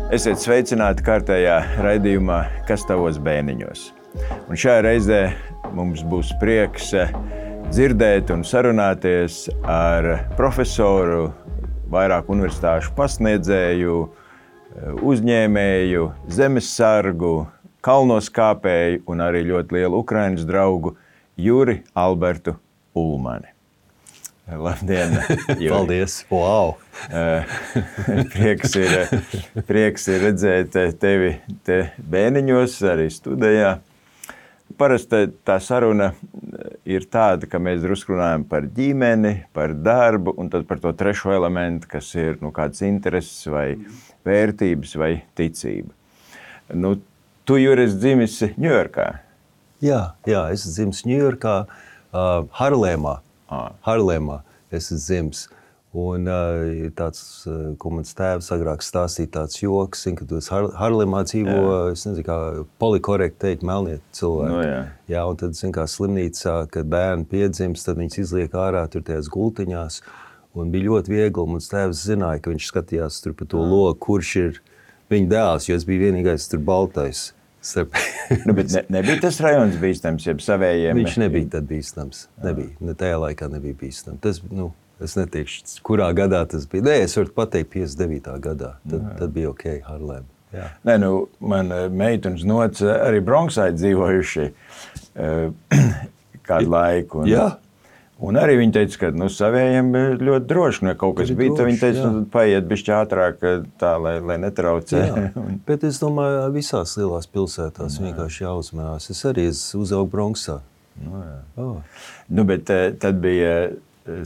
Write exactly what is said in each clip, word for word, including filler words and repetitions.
Esiet sveicināti kārtējā raidījumā Kas tavos bēniņos. Un šajā reizē mums būs prieks dzirdēt un sarunāties ar profesoru, vairāk universitāšu pasniedzēju, uzņēmēju, zemessargu, kalnoskāpēju un arī ļoti lielu Ukrainas draugu Juri Albertu Ulmani. Labdien, Juri. Paldies, wow! prieks, ir, prieks ir redzēt tevi te bēniņos, arī studijā. Parasti tā saruna ir tāda, ka mēs drusku runājam par ģimeni, par darbu un tad par to trešo elementu, kas ir nu, kāds intereses vai vērtības vai ticība. Nu, tu, Juri, esi dzimis Ņujorkā. Jā, jā, es esmu dzimis Ņujorkā, uh, Harlemā. Ah. Harlemā es esmu dzimis. Un uh, tāds, uh, ko mans tēvs agrāk stāstīja, tāds joks, ka tu esi Har Harlemā dzīvo, jā. Es nezinu, kā polikorekti teikt, melnieti cilvēki. No, jā. jā, un tad, zin, kā slimnīcā, kad bērni piedzimst, tad viņus izliek ārā tur tajās gultiņās. Un bija ļoti viegli, un mans tēvs zināja, ka viņš skatījās tur pa to logu, kurš ir viņa dēls, jo es biju vienīgais tur baltais. nu, bet ne, nebija tas rajons bīstams, jeb savējiem? Viņš nebija tad bīstams. Nebija. Ne tajā laikā nebija bīstams. Tas, nu, es neteikšu, kurā gadā tas bija. Nē, es varu pateikt piecdesmit devītā gadā. Tad, tad bija ok, Harlem. Jā. Nē, nu, man meita un znots arī Bronxā dzīvojuši uh, kādu laiku. Un, jā. Un arī viņi teica, ka nu, savējiem ļoti droši, nu, ja kaut kas bija, tad viņi teica, jā. Nu, paiet bišķi ātrāk tā, lai, lai netraucē. Bet es domāju, visās lielās pilsētās jā. Vienkārši jāuzmanās. Es arī uzaugu Bronxā. Nu, oh. nu, bet tad bija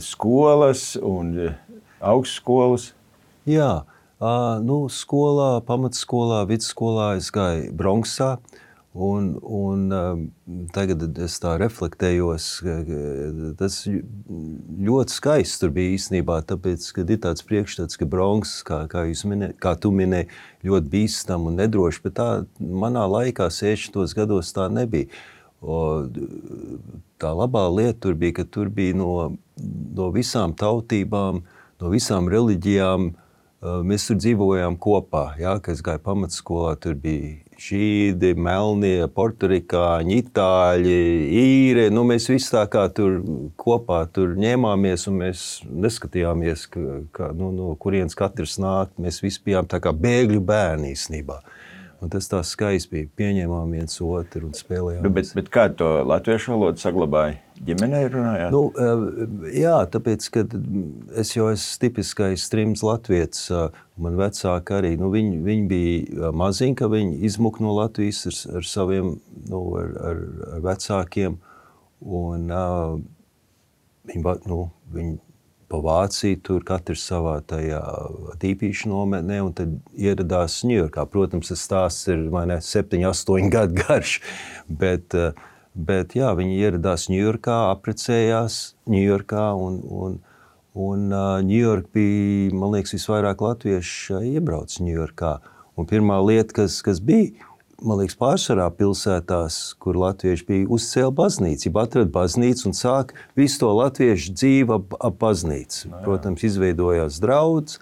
skolas un augstskolas? Jā, nu, skolā, pamatskolā, vidusskolā es gāju Bronxā. Un, un tagad es tā reflektējos, tas ļoti skaists tur bija īstenībā, tāpēc, kad ir tāds priekšstats, ka Bronx, kā, kā, jūs minē, kā tu minēji, ļoti bīstam un nedroši, bet tā manā laikā sešdesmitos gados tā nebija. O, tā labā lieta tur bija, ka tur bija no, no visām tautībām, no visām reliģijām, mēs tur dzīvojām kopā, jā, kad es gāju pamatskolā, tur bija žīdi, melnie, porturikāņi, itāļi, īri, nu mēs visi tā kā tur kopā tur ņēmāmies un mēs neskatījāmies, ka, ka, nu, no kurienes katrs nāk, mēs visi bijām tā kā bēgļu bērni īstenībā. Un tas tā skaisti bija, pieņēmām viens otru un spēlējām. Bet, bet kā to latviešu valodu saglabāja? Ģimenē runājāt? Nu, jā, tāpēc, ka es jau esmu tipiskais trims latvietis, man vecāki arī, nu, viņi, viņi bija maziņi, ka viņi izmuka no Latvijas ar, ar saviem, nu, ar, ar, ar vecākiem, un uh, viņi, nu, viņi pa Vāciju, tur katrs savā tajā tīpīšu nometnē, un tad ieradās Ņujorkā. Protams, tas stāsts ir, vai ne, septiņi, astoņi gadu garš, bet, bet jā, viņi ieradās Ņujorkā, aprecējās Ņujorkā, un, un, un Ņujorka bija, man liekas, visvairāk latvieši iebrauc Ņujorkā. Un pirmā lieta, kas, kas bija, man liekas, pārsvarā pilsētās, kur latvieši bija, uzcēla baznīcu, ja atrada baznīcu un sāk visu to latviešu dzīvi ap, ap baznīcu. Protams, izveidojās draudz,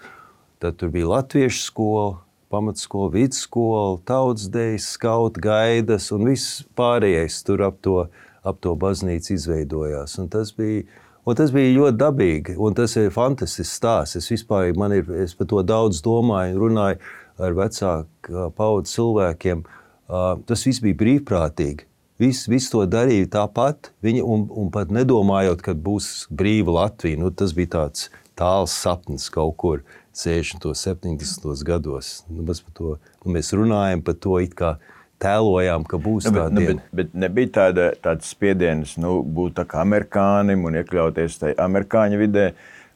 tad tur bija latviešu skola, pamatskola, vidusskola, tautsdejas, skautu gaidas un viss pārējais tur ap to, ap to baznīcu izveidojās. Un tas bija, un tas bija ļoti dabīgi, un tas ir fantastisks stāsts. Es vispār, man ir, es par to daudz domāju un runāju ar vecāku paudzi cilvēkiem. Uh, tas viss bija brīvprātīgi. Viss, viss to darīja tāpat, viņi, un, un pat nedomājot, kad būs brīva Latvija. Nu, tas bija tāds tāls sapnis kaut kur sešdesmitos, septiņdesmitos gados. Nu, mēs, par to, nu, mēs runājam par to, it kā tēlojām, ka būs nu, tā bet, diena. Nu, bet, bet nebija tāda, tāds spiediens, nu, būt tā kā amerikānim un iekļauties tajā amerikāņu vidē,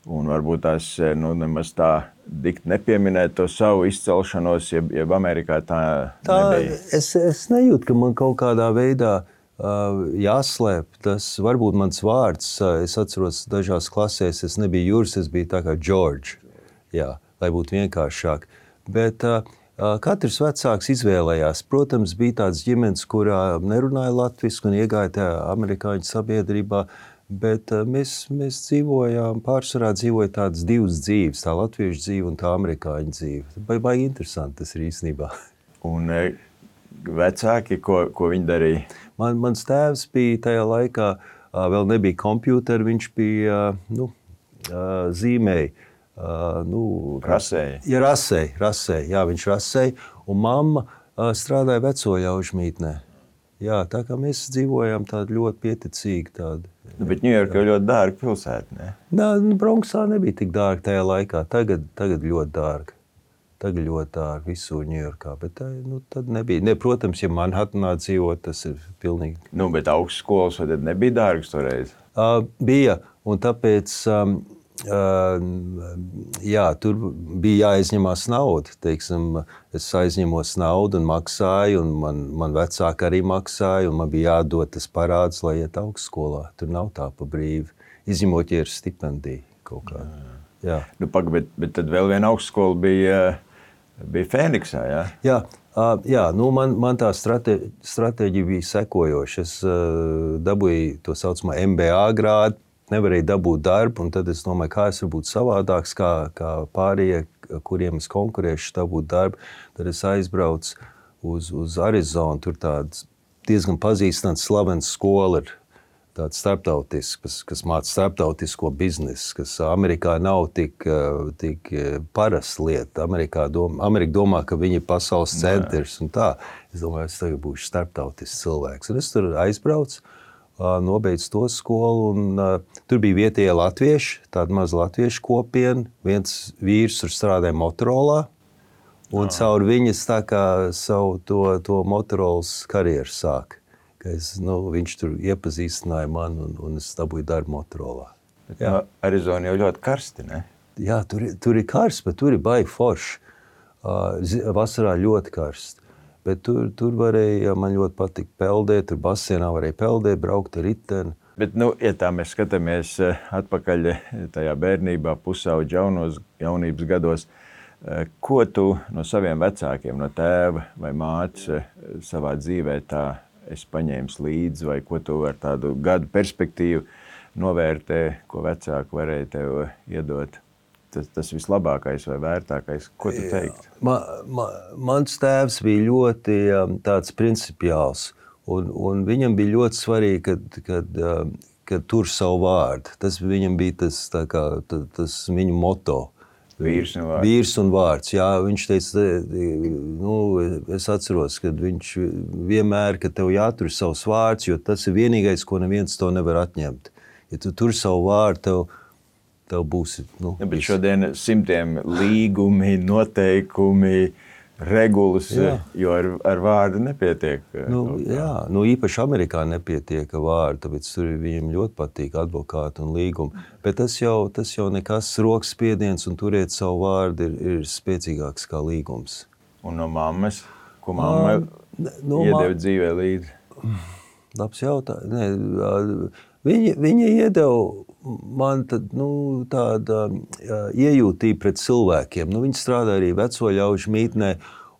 un varbūt tās nu, nemaz tā dikti nepieminēt to savu izcelšanos, jeb, jeb Amerikā tā, tā nebija. Es, es nejūtu, ka man kaut kādā veidā uh, jāslēp. Tas varbūt mans vārds, uh, es atceros dažās klasēs, es nebiju Juris, es biju tā kā George, jā, lai būtu vienkāršāk. Bet uh, uh, katrs vecāks izvēlējās. Protams, bija tāds ģimenes, kurā nerunāja latviski un iegāja tajā amerikāņu sabiedrībā, Bet mēs, mēs dzīvojām, pārsvarā dzīvoja tādas divas dzīves, tā latviešu dzīve un tā amerikāņu dzīve. Vai, vai interesanti tas ir īstenībā. Un vecāki, ko, ko viņi darīja? Man, mans tēvs bija tajā laikā, vēl nebija kompjūteri, viņš bija, nu, zīmēja. Nu, rasēja? Ja, rasēja, rasēja, jā, viņš rasēja. Un mamma strādāja vecoļaužu mītnē. Jā, tā kā mēs dzīvojām tādu ļoti pieticīgi tādu. Nu, bet Ņujorka jau ļoti dārga pilsēta, ne? Nā, Bronksā nebija tik dārga tajā laikā. Tagad, tagad ļoti dārga. Tagad ļoti dārga visur Ņujorkā, bet nu, tad nebija. Ne, protams, ja Manhattanā dzīvot, tas ir pilnīgi. Nu, bet augstskolas vai tad nebija dārgas toreiz? Uh, bija, un tāpēc... Um, Uh, jā, tur bija jāaizņemās nauda. Teiksim, es aizņemos naudu un maksāju, un man, man vecāki arī maksāja, un man bija jādod tas parāds, lai iet augstskolā. Tur nav tā pa brīvi. Izņemot, ja ir stipendija kaut kāda. Jā. Nu, pak, bet, bet tad vēl viena augstskola bija, bija Fēniksā, jā? Jā, uh, jā nu man, man tā strate, stratēģija bija sekojoša. Es uh, dabūju to saucamo M B A grādu, nevarēju dabūt darbu, un tad es domāju, kā es varu būt savādāks, kā, kā pārējie, kuriem es konkurēšu, dabūt darbu. Tad es aizbraucu uz, uz Arizonu, tur tāds diezgan pazīstams slavens skola ir tāds starptautisks, kas, kas māca starptautisko biznesu, kas Amerikā nav tik, tik parasta lieta. Amerikā doma, Amerika domā, ka viņi ir pasaules centrs un tā. Es domāju, es tagad būšu starptautisks cilvēks. Un es tur aizbraucu, nobeidzu to skolu, un uh, tur bija vietējie latvieši, tāda maza latviešu kopiena. Viens vīrs tur strādāja Motorolā, un ah. caur viņas tā kā savu to, to Motorolas karjeru sāk. Es, nu, viņš tur iepazīstināja man, un, un es dabūju darbu Motorolā. Bet no Arizona jau ļoti karsti, ne? Jā, tur, tur ir karsts, bet tur ir baigi forši. Uh, vasarā ļoti karsti. Bet tur, tur varēja, man ļoti patika peldēt, tur basienā varēja peldēt, braukt ar riteni. Bet, nu, ja tā mēs skatāmies atpakaļ tajā bērnībā, pusauģa jaunos, jaunības gados, ko tu no saviem vecākiem, no tēva vai mātes savā dzīvē tā esi paņēmis līdzi, vai ko tu ar tādu gadu perspektīvu novērtē, ko vecāki varēja tev iedot? Tas, tas vislabākais vai vērtākais, ko tu teiktu? Ma, ma, mans tēvs bija ļoti um, tāds principiāls, un, un viņam bija ļoti svarīgi, kad, kad, um, kad tur savu vārdu. Tas viņam bija tas, tā kā, tas, tas viņu moto. Vīrs un vārds. Vīrs un vārds, jā. Viņš teica, nu, es atceros, kad viņš vienmēr, ka tev jātur savs vārds, jo tas ir vienīgais, ko neviens to nevar atņemt. Ja tu tur savu vārdu, tev tev būs... Nu, ja, bet šodien simtiem līgumi, noteikumi, regulas, jā. Jo ar, ar vārdu nepietiek. Nu, jā, nu, īpaši Amerikā nepietiek vārdu, tāpēc tur viņiem ļoti patīk advokāti un līgumi. Bet tas jau, tas jau nekas rokas spiediens un turēt savu vārdu ir, ir spēcīgāks kā līgums. Un no mammas? Ko mamma no iedeva ma... dzīvē līdzi? Labs jautājums. Viņa, viņa iedeva man tad, nu, tāda jā, iejūtība pret cilvēkiem. Nu, viņi strādā arī vecoļaužu mītnē,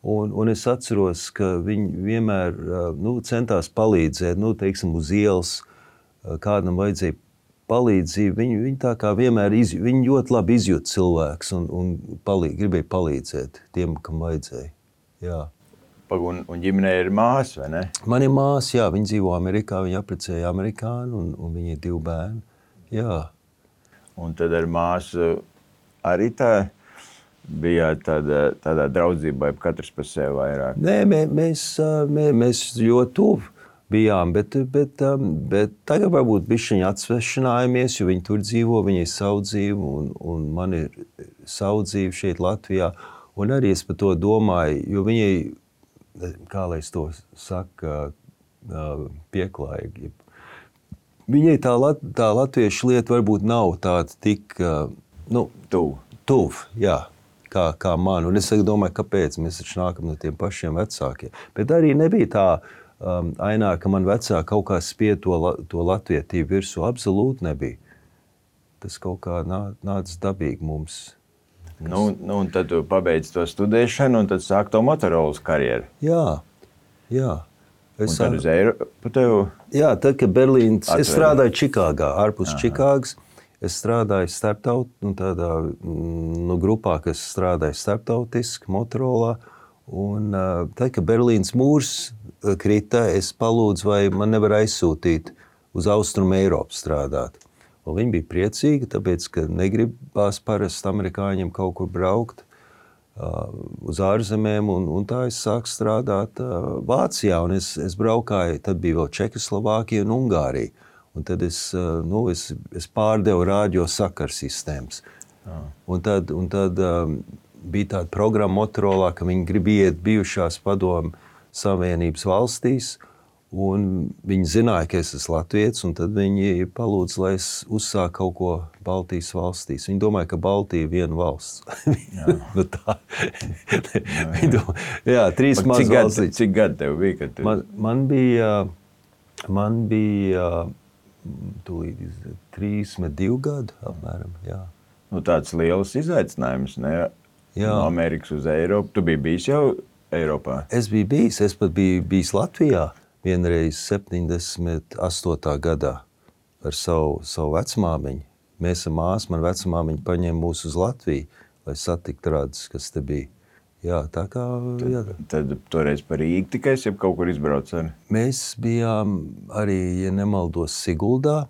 un, un es atceros, ka viņi vienmēr nu, centās palīdzēt, nu, teiksim, uz ielas, kādam vajadzēja palīdzību. Viņi, viņi tā kā vienmēr iz, viņi ļoti labi izjūt cilvēks un, un palīd, gribēja palīdzēt tiem, kam vajadzēja. Jā. Un, un ģimenē ir māsa, vai ne? Man ir māsa, jā, viņa dzīvo Amerikā, viņa apprecēja amerikānu, un, un viņa ir divi bērni. Jā. Un tad ar māsu arī tā bija tāda, tādā draudzībā, ja katrs par sevi vairāk? Nē, mē, mēs, mē, mēs ļoti tuvi bijām, bet, bet, bet tagad varbūt bišķiņi atsvešanājamies, jo viņi tur dzīvo, viņi ir savu dzīvi, un, un man ir savu dzīvi šeit Latvijā. Un arī es par to domāju, jo viņai, kā lai es to saka, pieklājīgi. Viņai tā, lat, tā latviešu lieta varbūt nav tāda tik, nu, tuv, tuv, jā, kā, kā man. Un es domāju, kāpēc mēs taču nākam no tiem pašiem vecākiem. Bet arī nebija tā um, ainā, ka man vecāki kaut kā spie to, to latvietību virsū. Absolūti nebija. Tas kaut kā nā, nāca dabīgi mums. Nu, nu, un tad tu pabeidz to studēšanu, un tad sāk to Motorolas karjeru. Jā, jā. Es un tad uz Eiropu tev? Jā, tad, kad Berlīnas, es strādāju Čikāgā, ārpus Aha. Čikāgas. Es strādāju starptaut, nu, tādā nu, grupā, kas strādāja starptautiski, Motorolā. Un tad, kad Berlīnas mūrs krita, es palūdzu, vai man nevar aizsūtīt uz Austrumu Eiropu strādāt. Un viņi bija priecīgi, tāpēc, ka negribās parasti amerikāņiem kaut kur braukt uh, uz ārzemēm, un, un tā es sāku strādāt uh, Vācijā, un es, es braukāju, tad bija vēl Čehoslovākija un Ungārija, un tad es, uh, nu, es, es pārdevu rādio sakarsistēmas. Ah. Un tad, un tad um, bija tāda programma Motorolā, ka viņi grib iet bijušās padomu Savienības valstīs, un viņi zināja, ka es esmu latvietis, un tad viņi palūdz, lai es uzsāku kaut ko Baltijas valstīs. Viņi domāja, ka Baltija ir viena valsts. Jā. nu tā. jā, jā. Domā, jā, trīs mazas valstis. Cik gadi tev bija? Kad tu... man, man bija, man bija tūlīt, trīsdesmit divi gadi, apmēram, jā. Nu, tāds liels izaicinājums, ne? Jā. No Amerikas uz Eiropu. Tu biji bijis jau Eiropā? Es biju bijis, es pat biju bijis Latvijā. Vienreiz septiņdesmit astotā gadā ar savu, savu vecmāmiņu. Mēs ar māsu, man vecmāmiņu paņēma mūs uz Latviju, lai satiktu radus, kas te bija. Jā, tā kā... Jā. Tad, tad toreiz par Rīgu tikai es jau kaut kur izbrauc ar? Mēs bijām arī, ja nemaldos, Siguldā,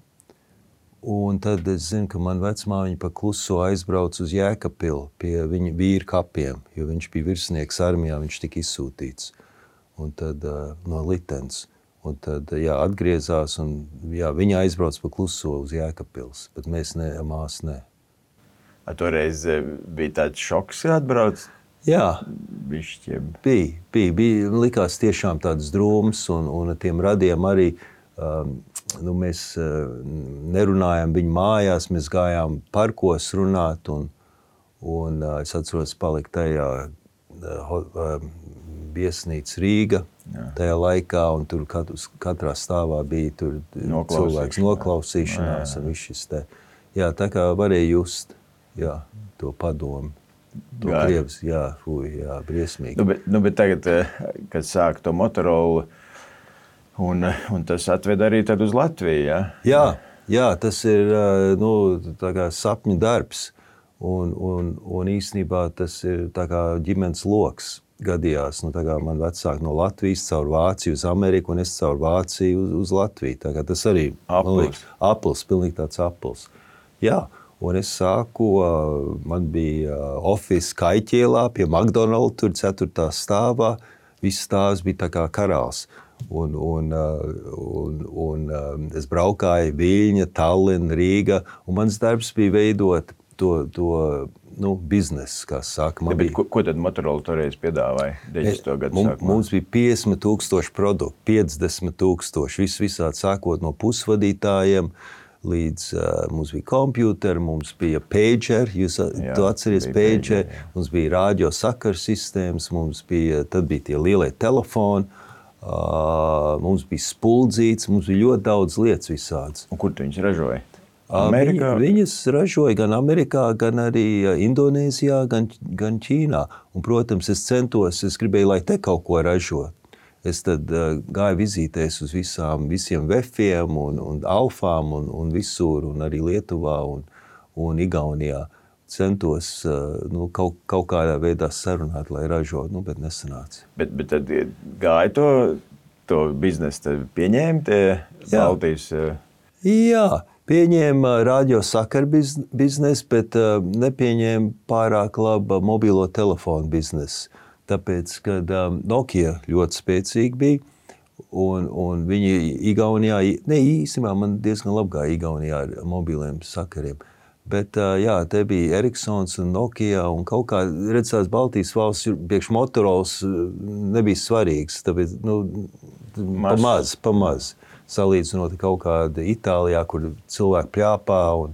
un tad es zinu, ka man vecmāmiņa pa kluso aizbrauc uz Jēkapilu pie viņa vīra kapiem, jo viņš bija virsnieks armijā, viņš tika izsūtīts. Un tad uh, no Litens. Un tad, jā, atgriezās, un jā, viņa aizbrauc pa kluso uz Jēkapils, bet mēs ne, mās ne. A, toreiz bija tāds šoks, kad atbrauc? Jā, Bišķiem. bija, bija, bija, likās tiešām tāds drūms, un, un ar tiem radiem arī, um, nu, mēs uh, nerunājām viņu mājās, mēs gājām parkos runāt, un, un uh, es atceros palikt tajā uh, uh, viesnīca Rīga jā. Tajā laikā, un tur katrs, katrā stāvā bija tur cilvēks noklausīšanās, jā, jā. Un viss šis te. Jā, tā kā varēja just, jā, to padomu. To jā. Krievs, jā, fuj, jā, briesmīgi. Nu, bet, nu, bet tagad, kad sāk to Motorolu, un, un tas atved arī tad uz Latviju, jā? Jā, jā, tas ir, nu, tā kā sapņu darbs, un, un, un īstenībā tas ir tā kā ģimenes loks. Gadījās, nu, tā kā man vecāki no Latvijas caur Vāciju uz Ameriku, un es caur Vāciju uz, uz Latviju. Tā kā tas arī aplis. Aplis, pilnīgi tāds aplis. Jā, un es sāku, man bija office Kaiķielā pie McDonald's, tur ceturtā stāvā. Viss stāvs bija tā kā karals. Un, un, un, un es braukāju Viļņa, Tallina, Rīga, un mans darbs bija veidot to, to nu, biznesu, kā saka. Ja, bet ko, ko tad Motorola toreiz piedāvāja? deviņdesmito gadu mums, sākumā? Mums bija piecdesmit tūkstoši produktu, piecdesmit tūkstoši, viss visādi sākot no pusvadītājiem, līdz uh, mums bija kompjuteri, mums bija pager, jūs jā, tu atceries pager, pager mums bija rādio sakarsistēmas, mums bija, tad bija tie lielie telefoni, uh, mums bija spuldzīts, mums bija ļoti daudz lietas visādas. Un kur tu viņus ražoja? Amerikā? Viņi, viņas ražoja gan Amerikā, gan arī Indonēzijā, gan, gan Ķīnā. Un, protams, es centos, es gribēju, lai te kaut ko ražot. Es tad uh, gāju vizītēs uz visām, visiem vefiem un, un alfām un, un visur, un arī Lietuvā un, un Igaunijā. Centos uh, nu, kaut, kaut kādā veidā sarunāt, lai ražot, nu, bet nesanāca. Bet, bet tad gāja to, to biznesu, tad pieņēma tie Baltijas? Uh... Jā. Pieņēma rādio sakaru biznesu, bet uh, nepieņēma pārāk labu mobilo telefonu biznesu. Tāpēc, kad um, Nokia ļoti spēcīgi bija, un, un viņi Igaunijā, ne īstenībā man diezgan labi gāja Igaunijā ar mobiliem sakariem, bet uh, jā, te bija Ericssons un Nokia, un kaut kā, redz, tās Baltijas valsts priekš Motorolas nebija svarīgs, tāpēc, nu, pamaz, pamaz. Salīdzinot kaut kāda Itālijā, kur cilvēki pļāpā un,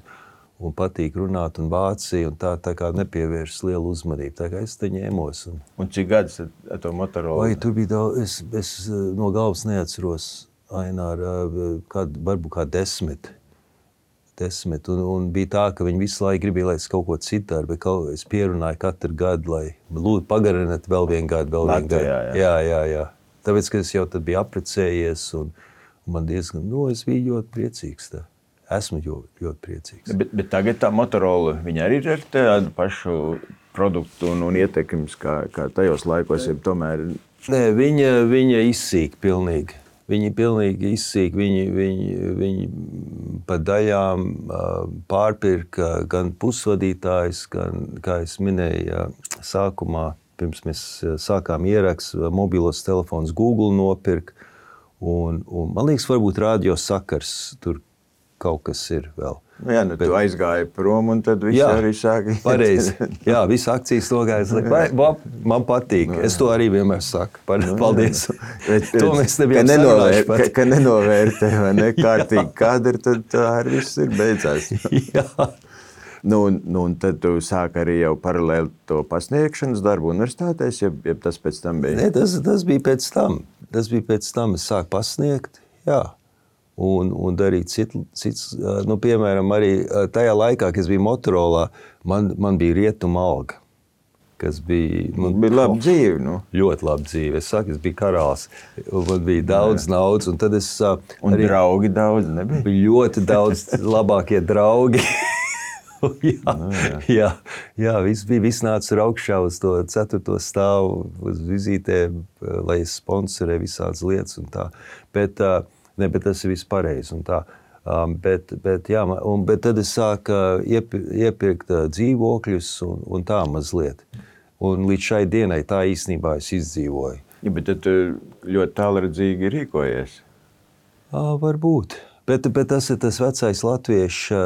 un patīk runāt, un Vācija, un tā, tā kā nepievērš lielu uzmanību. Tā kā es te ņēmos. Un, un cik gadus ar to Motorola? Vai, tur bija daudz, es, es no galvas neatceros, Ainār, kād, varbūt kā desmit. desmit. Un, un bija tā, ka viņi visu laiku gribēja, lai es kaut ko citu daru, bet kaut, es pierunāju katru gadu, lai lūdzu pagariniet vēl vienu gadu, vēl vienu gadu. Jā, jā, jā. jā. tāpēc, ka es jau tad biju apprecējies, un, un man diezgan, nu, es biju ļoti priecīgs. Tā. Esmu ļoti, ļoti priecīgs. Bet, bet tagad tā Motorola, viņa arī ir ar tādu pašu produktu un, un ietekmes, kā, kā tajos laikos, ja tomēr... Nē, viņa, viņa izsīk pilnīgi. Viņi pilnīgi izsīk, viņi, viņi, viņi pa daļām pārpirka gan pusvadītājs, gan, kā es minēju, sākumā, pirms mēs sākām ierakst, mobilos telefons Google nopirka, un, un man liekas, varbūt radio sakars tur kaut kas ir vēl. Nu jā, nu bet, tu aizgāji prom un tad viss jā, arī sāka. Pareizi. Jā, visi akcijas nogājas. Man patīk. Nu, es to arī vienmēr saku. Paldies. Nu, bet, to mēs nebijām sarunājuši pat. Ka, ka nenovērtē, vai ne, kārtīgi kadri, tad tā arī viss ir beidzās. Jā. Nu, nu, un tad tu sāki arī jau paralēli to pasniegšanas darbu universitātēs, ja, ja tas pēc tam bija? Nē, tas, tas bija pēc tam. Tas bija pēc tam, es sāku pasniegt, jā. Un, un darīt cits, cits, nu, piemēram, arī tajā laikā, kad es biju Motorolā, man, man bija rietuma alga, kas bija... Man bija laba dzīve, nu. Ļoti laba dzīve. Es saku, es biju karāls, un man bija daudz jā. naudas, un tad es... Un arī, draugi daudz nebija? Bija ļoti daudz labākie draugi. jā, nu, jā. jā, jā, viss bija, viss nāca ar augšā uz to ceturto stāvu, uz vizītēm, lai es sponsorēju visādas lietas un tā. Bet... Ne, bet tas ir viss pareizi un tā. Um, bet, bet, jā, un, bet tad es sāku iepir, iepirkt dzīvokļus un, un tā mazliet. Un līdz šai dienai tā īstenībā es izdzīvoju. Ja, bet tad ļoti tālredzīgi rīkojies? À, varbūt. Bet, bet tas ir tas vecais latviešu,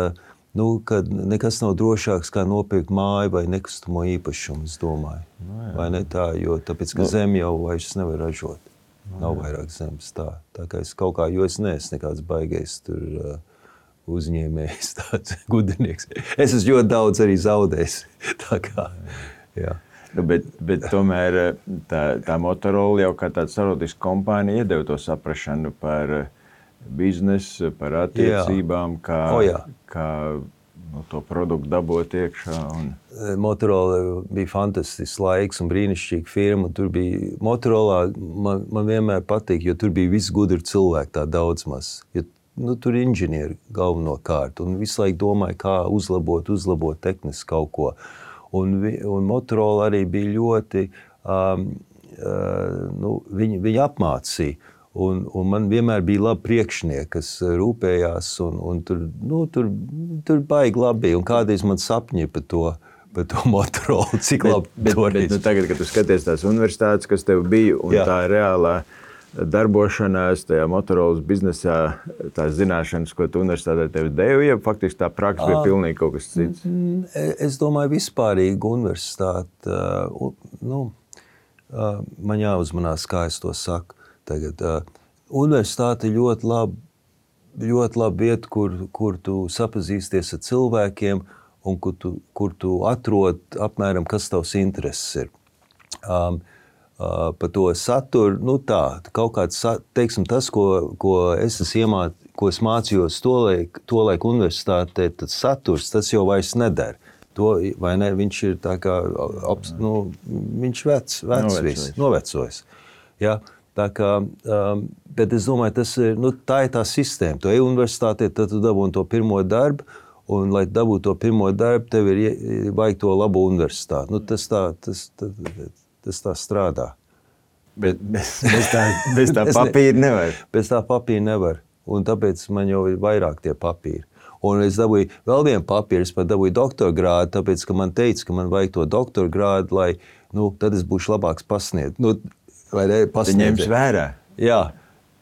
nu, kad nekas nav drošāks kā nopirkt māju vai nekustamo īpašumu, es domāju. No, vai ne tā, jo tāpēc, ka no. zem jau vairs nevar ražot. Nav vairāk zemes tā. Tā kā es kaut kā, jo es neesmu nekāds baigais tur uh, uzņēmējs, tāds gudrinieks. Es esmu ļoti daudz arī zaudējis. Tā kā, jā. Nu, bet, bet tomēr tā, tā Motorola jau kā tāda starptautiska kompānija iedeva to saprašanu par biznesu, par attiecībām, kā, o, kā no to produktu dabūt iekšā. Un... Motorola bija fantastisks laiks un brīnišķīga firma. Tur bija Motorola, man, man vienmēr patīk, jo tur bija visi gudri cilvēki, tā daudz maz. Jo, nu, tur inženieri galvenokārt un visu laiku domāja, kā uzlabot, uzlabot tehniski kaut ko. Un, un Motorola arī bija ļoti, um, uh, nu, viņi, viņi apmācīja. Un, un man vienmēr bija labi priekšnieki, kas rūpējās, un, un tur, nu, tur, tur baigi labi. Un kādreiz man sapņi par to, par to Motorola, cik labi bet, bet, bet, nu, tagad, kad tu skaties tās universitātes, kas tev bija, un jā. tā reālā darbošanās tajā Motorolas biznesā, tās zināšanas, ko tu universitātē tev devi, ja faktiski tā praksa bija pilnīgi kaut kas cits? Es domāju, vispārīgi universitāte, nu, man jāuzmanās, kā es to saku. Tagad, uh, universitāte ir ļoti laba, ļoti laba vieta, kur, kur tu sapazīsties ar cilvēkiem un kur tu, kur tu atrod apmēram, kas tavs intereses ir. Um, uh, par to saturu, nu tā, kaut kāds, teiksim, tas, ko, ko es esmu iemāt, ko es mācījos tolaik, tolaik universitātē, tad saturs, tas jau vairs nedara. To, vai ne, viņš ir tā kā, nu, viņš vec, vec viss, novecojis. Ja? Tā kā, um, bet es domāju, tas ir, nu, tā ir tā sistēma. Tu ej universitātē, tad tu dabūni to pirmo darbu, un, lai dabūtu to pirmo darbu, tev ir vajag to labo universitāti. Nu, tas tā, tas, tas, tas tā strādā. Bet bez, bez tā, bez tā papīra nevar. Bez tā papīra nevar. Un tāpēc man jau ir vairāk tie papīri. Un es dabūju vēl vienu papīru, es pat dabūju doktora grādu, tāpēc, ka man teica, ka man vajag to doktora grādu, lai, nu, tad es būšu labāks pasniegt. Nu, vai ne, pasniedzi. Ņems vērā. Jā,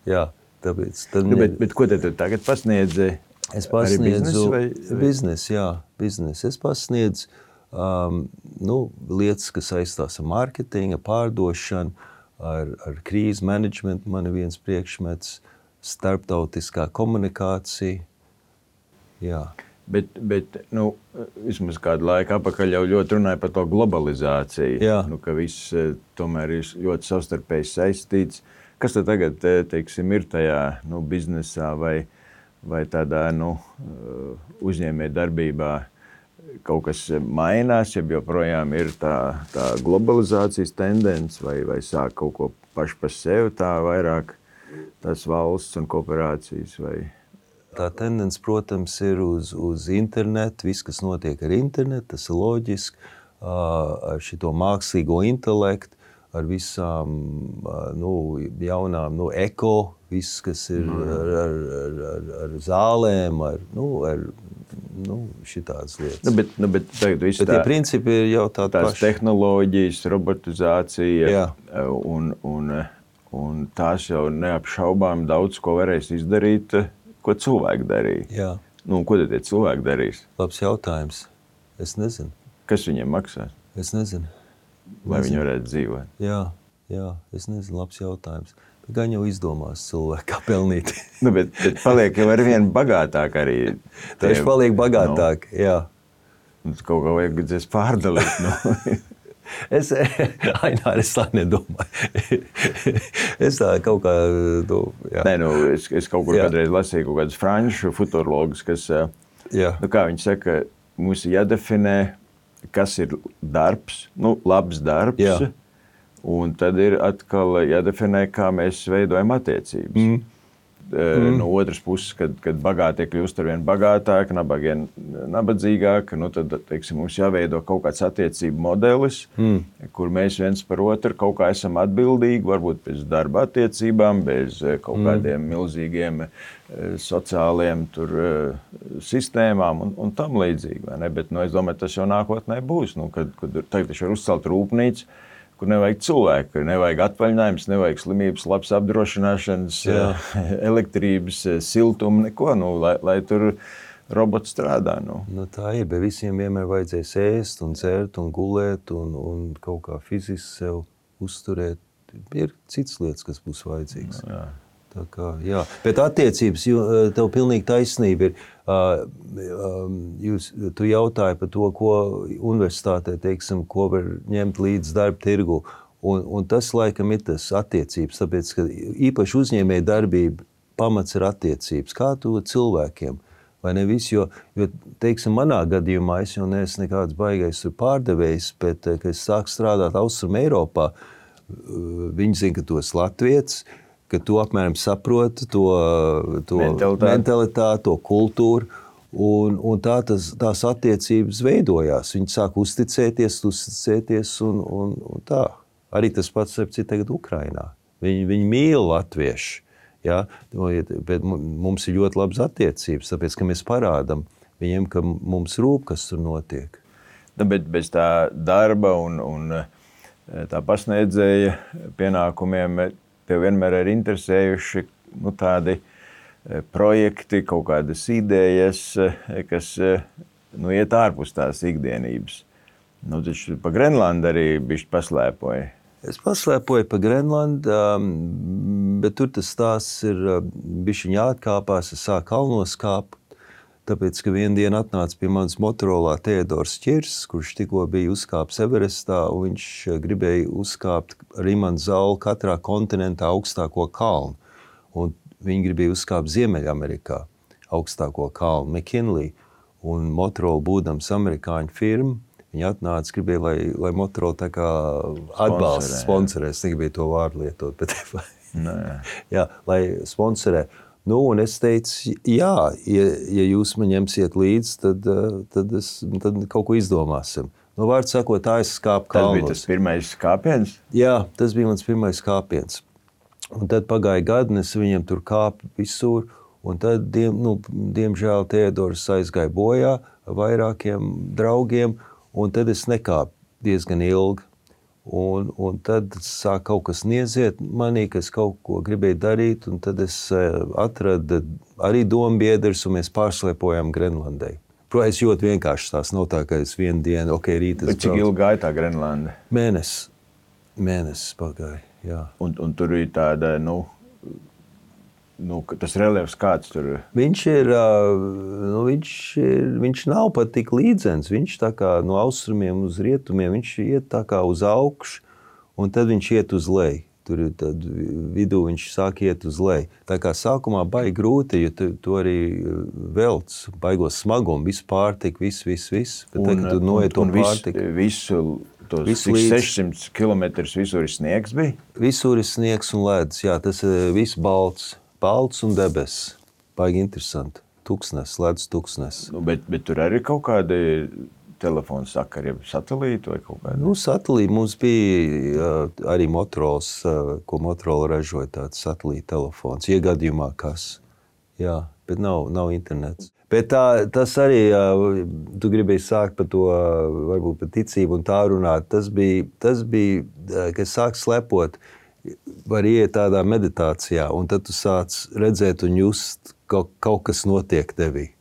jā. Tāpēc, tad nu, bet, bet ko tad tu tagad pasniedzi? Es pasniedzu biznesu vai, vai? Biznes, jā, biznes. Es pasniedzu um, nu, lietas, kas saistās ar mārketingu, pārdošanu, ar, ar krīzes menedžmentu, man ir viens priekšmets, starptautiskā komunikācija. Jā. Bet, bet nu, vismaz kādu laiku apakaļ jau ļoti runāja par to globalizāciju, Jā. Nu, ka viss tomēr ir ļoti savstarpēji saistīts. Kas tad tagad, teiksim, ir tajā nu, biznesā vai, vai tādā nu, uzņēmē darbībā, kaut kas mainās, ja joprojām ir tā, tā globalizācijas tendence, vai, vai sāk kaut ko paši par sevi tā vairāk tās valsts un kooperācijas, vai... Tā tendence, protams, ir uz, uz internetu, viss, kas notiek ar internetu, tas ir loģiski, ar šito mākslīgo intelektu, ar visām nu, jaunām nu, eko, viss, kas ir ar, ar, ar, ar zālēm, ar, nu, ar nu, šitādas lietas. Nu, bet, nu, bet, tagad, bet tie tā, principi ir jau tādi tās paši. Tehnoloģijas, robotizācija Jā. un, un, un tās jau neapšaubām daudz ko varēs izdarīt, ko cilvēki darīja. Jā. Nu, ko tad tie cilvēki darīs? Labs jautājums. Es nezinu. Kas viņiem maksās? Es nezinu. Vai nezinu. viņi varētu dzīvot? Jā, jā, es nezinu, labs jautājums. Bet gan jau izdomās cilvēki, kā pelnīt. Nu, bet, bet paliek jau ar vienu bagātāk arī. Tieši paliek bagātāk, no. Jā. Mums kaut kā vajag dzēs pārdalīt, no. Es, Ainār, es tā nedomāju. Es tā kaut kā... Nu, jā. Nē, nu, es, es kaut kur jā. Kādreiz lasīju kaut kādus franču futurologus, kas, jā. Nu, kā viņi saka, mums jādefinē, kas ir darbs, nu, labs darbs, jā. Un tad ir atkal jādefinē, kā mēs veidojam attiecības. Mm. Mm. No otras puses, kad, kad bagātie kļūst ar vien bagātāk, nabagie nabadzīgāk, nu tad, teiksim, mums jāveido kaut kāds attiecību modelis, mm. kur mēs viens par otru kaut kā esam atbildīgi, varbūt bez darba attiecībām, bez kaut mm. kādiem milzīgiem sociāliem tur, sistēmām un, un tam līdzīgi. Vai ne? Bet nu, es domāju, tas jau nākotnē būs. Nu, kad, kad tagad taču var uzcelt rūpnīcu, kur nevajag cilvēku, kur nevajag atvaļinājums, nevajag slimības, labs apdrošināšanas, Jā. elektrības, siltumu, neko, nu, lai, lai tur robots strādā. Nu. Nu, tā ir, bet visiem vienmēr vajadzēs ēst un dzert un gulēt un, un kaut kā fiziski sev uzturēt. Ir citas lietas, kas būs vajadzīgas. Jā. Tā kā, jā. Bet attiecības, tev pilnīgi taisnība ir. Jūs, tu jautāji par to, ko universitātē, teiksim, ko var ņemt līdz darba tirgu. Un, un tas, laikam, ir tas attiecības, tāpēc, ka īpaši uzņēmēja darbība pamats ir attiecības. Kā tu cilvēkiem? Vai ne viss? Jo, jo, teiksim, manā gadījumā es jau neesmu nekāds baigais pārdevējs, bet, kad es sāku strādāt Austrum Eiropā, viņi zina, ka tu esi latvietis, ka tu apmēram saproti to, to mentalitāti. mentalitāti, to kultūru, un, un tā tas, tās attiecības veidojās. Viņi sāk uzticēties, uzticēties, un, un, un tā. Arī tas pats ir tagad Ukrainā. Viņi, viņi mīl latviešu, ja? Bet mums ir ļoti labas attiecības, tāpēc, ka mēs parādam viņiem, ka mums rūp, kas tur notiek. Nu, bet bez tā darba un, un tā pasniedzēja pienākumiem tev vienmēr ir interesējuši nu, tādi projekti, kaut kādas idejas, kas nu, iet ārpus tās ikdienības. Nu, taču pa Grenlandu arī bišķi paslēpoja. Es paslēpoju pa Grenlandu, bet tur tas stāsts ir bišķiņ jāatkāpās, es sāku kalnos kāpt, tāpēc, ka vienu dienu atnāca pie manas Motorolā Teodors Čirs, kurš tikko bija uzkāps Everestā, un viņš gribēja uzkāpt ar imanu Zaulu katrā kontinentā augstāko kalnu. Un viņi gribēja uzkāpt Ziemeļamerikā augstāko kalnu, McKinley. Un Motorola būdams amerikāņu firma, viņi atnāca, gribēja, lai, lai Motorola tā kā atbalsta, sponsorē. Es negribēju to vārdu lietot, bet jā, lai sponsorē. Nu, un es teicu, jā, ja, ja jūs man ņemsiet līdzi, tad, tad, es, tad kaut ko izdomāsim. Nu, vārds sakot, tā es skāpu kalnos. Tas bija tas pirmais kāpiens? Jā, tas bija mans pirmais kāpiens. Un tad pagāja gadi, un es viņam tur kāpu visur, un tad, diem, nu, diemžēl, Teodors aizgāja bojā ar vairākiem draugiem, un tad es nekāpu diezgan ilgi. Un, un tad sāk kaut kas nieziet manī, ka es kaut ko gribēju darīt, un tad es atradu arī dombiedrus, un mēs pārslēpojām Grenlandai. Protams, ļoti vienkārši tās nav tā, ka es vienu dienu, ok, rīt es braucu. Cik ilgi gāja tā Grenlanda? Mēnesis. Mēnesis pagāja, jā. Un, un tur ir tāda, nu, nu, tas reliefs kāds tur? Viņš ir, nu, viņš ir, viņš nav pat tik līdzens, viņš tā kā no austrumiem uz rietumiem, viņš iet tā kā uz augšu, un tad viņš iet uz leju. Tur tad vidū viņš sāk iet uz leju. Tā kā sākumā baigi grūti, jo tu, tu arī velc, baigos smagumu, visu pārtiku, visu, visu, visu. Bet tagad tu noiet to pārtiku. Visu, tos visu sešsimt kilometrus visur ir sniegs bija? Visur ir sniegs un ledus, jā, tas ir viss balts, balts un debesis. Baigi interesanti. Tuksnes, ledus tuksnes. Nu, bet, bet tur arī kaut kādi telefonu sakari, satelīti vai kaut kādi? Nu, satelīti mums bija uh, arī Motorolas, uh, ko Motorola ražoja, tāds satelīta telefons, iegadījumā kas. Jā, bet nav, nav internets. Bet tā, tas arī, uh, tu gribēji sākt par to, uh, varbūt par ticību un tā runāt, tas bija, tas bija uh, kad sāk slepot, var iet tādā meditācijā, un tad tu sāc redzēt un just, kaut, kaut kas notiek tevī.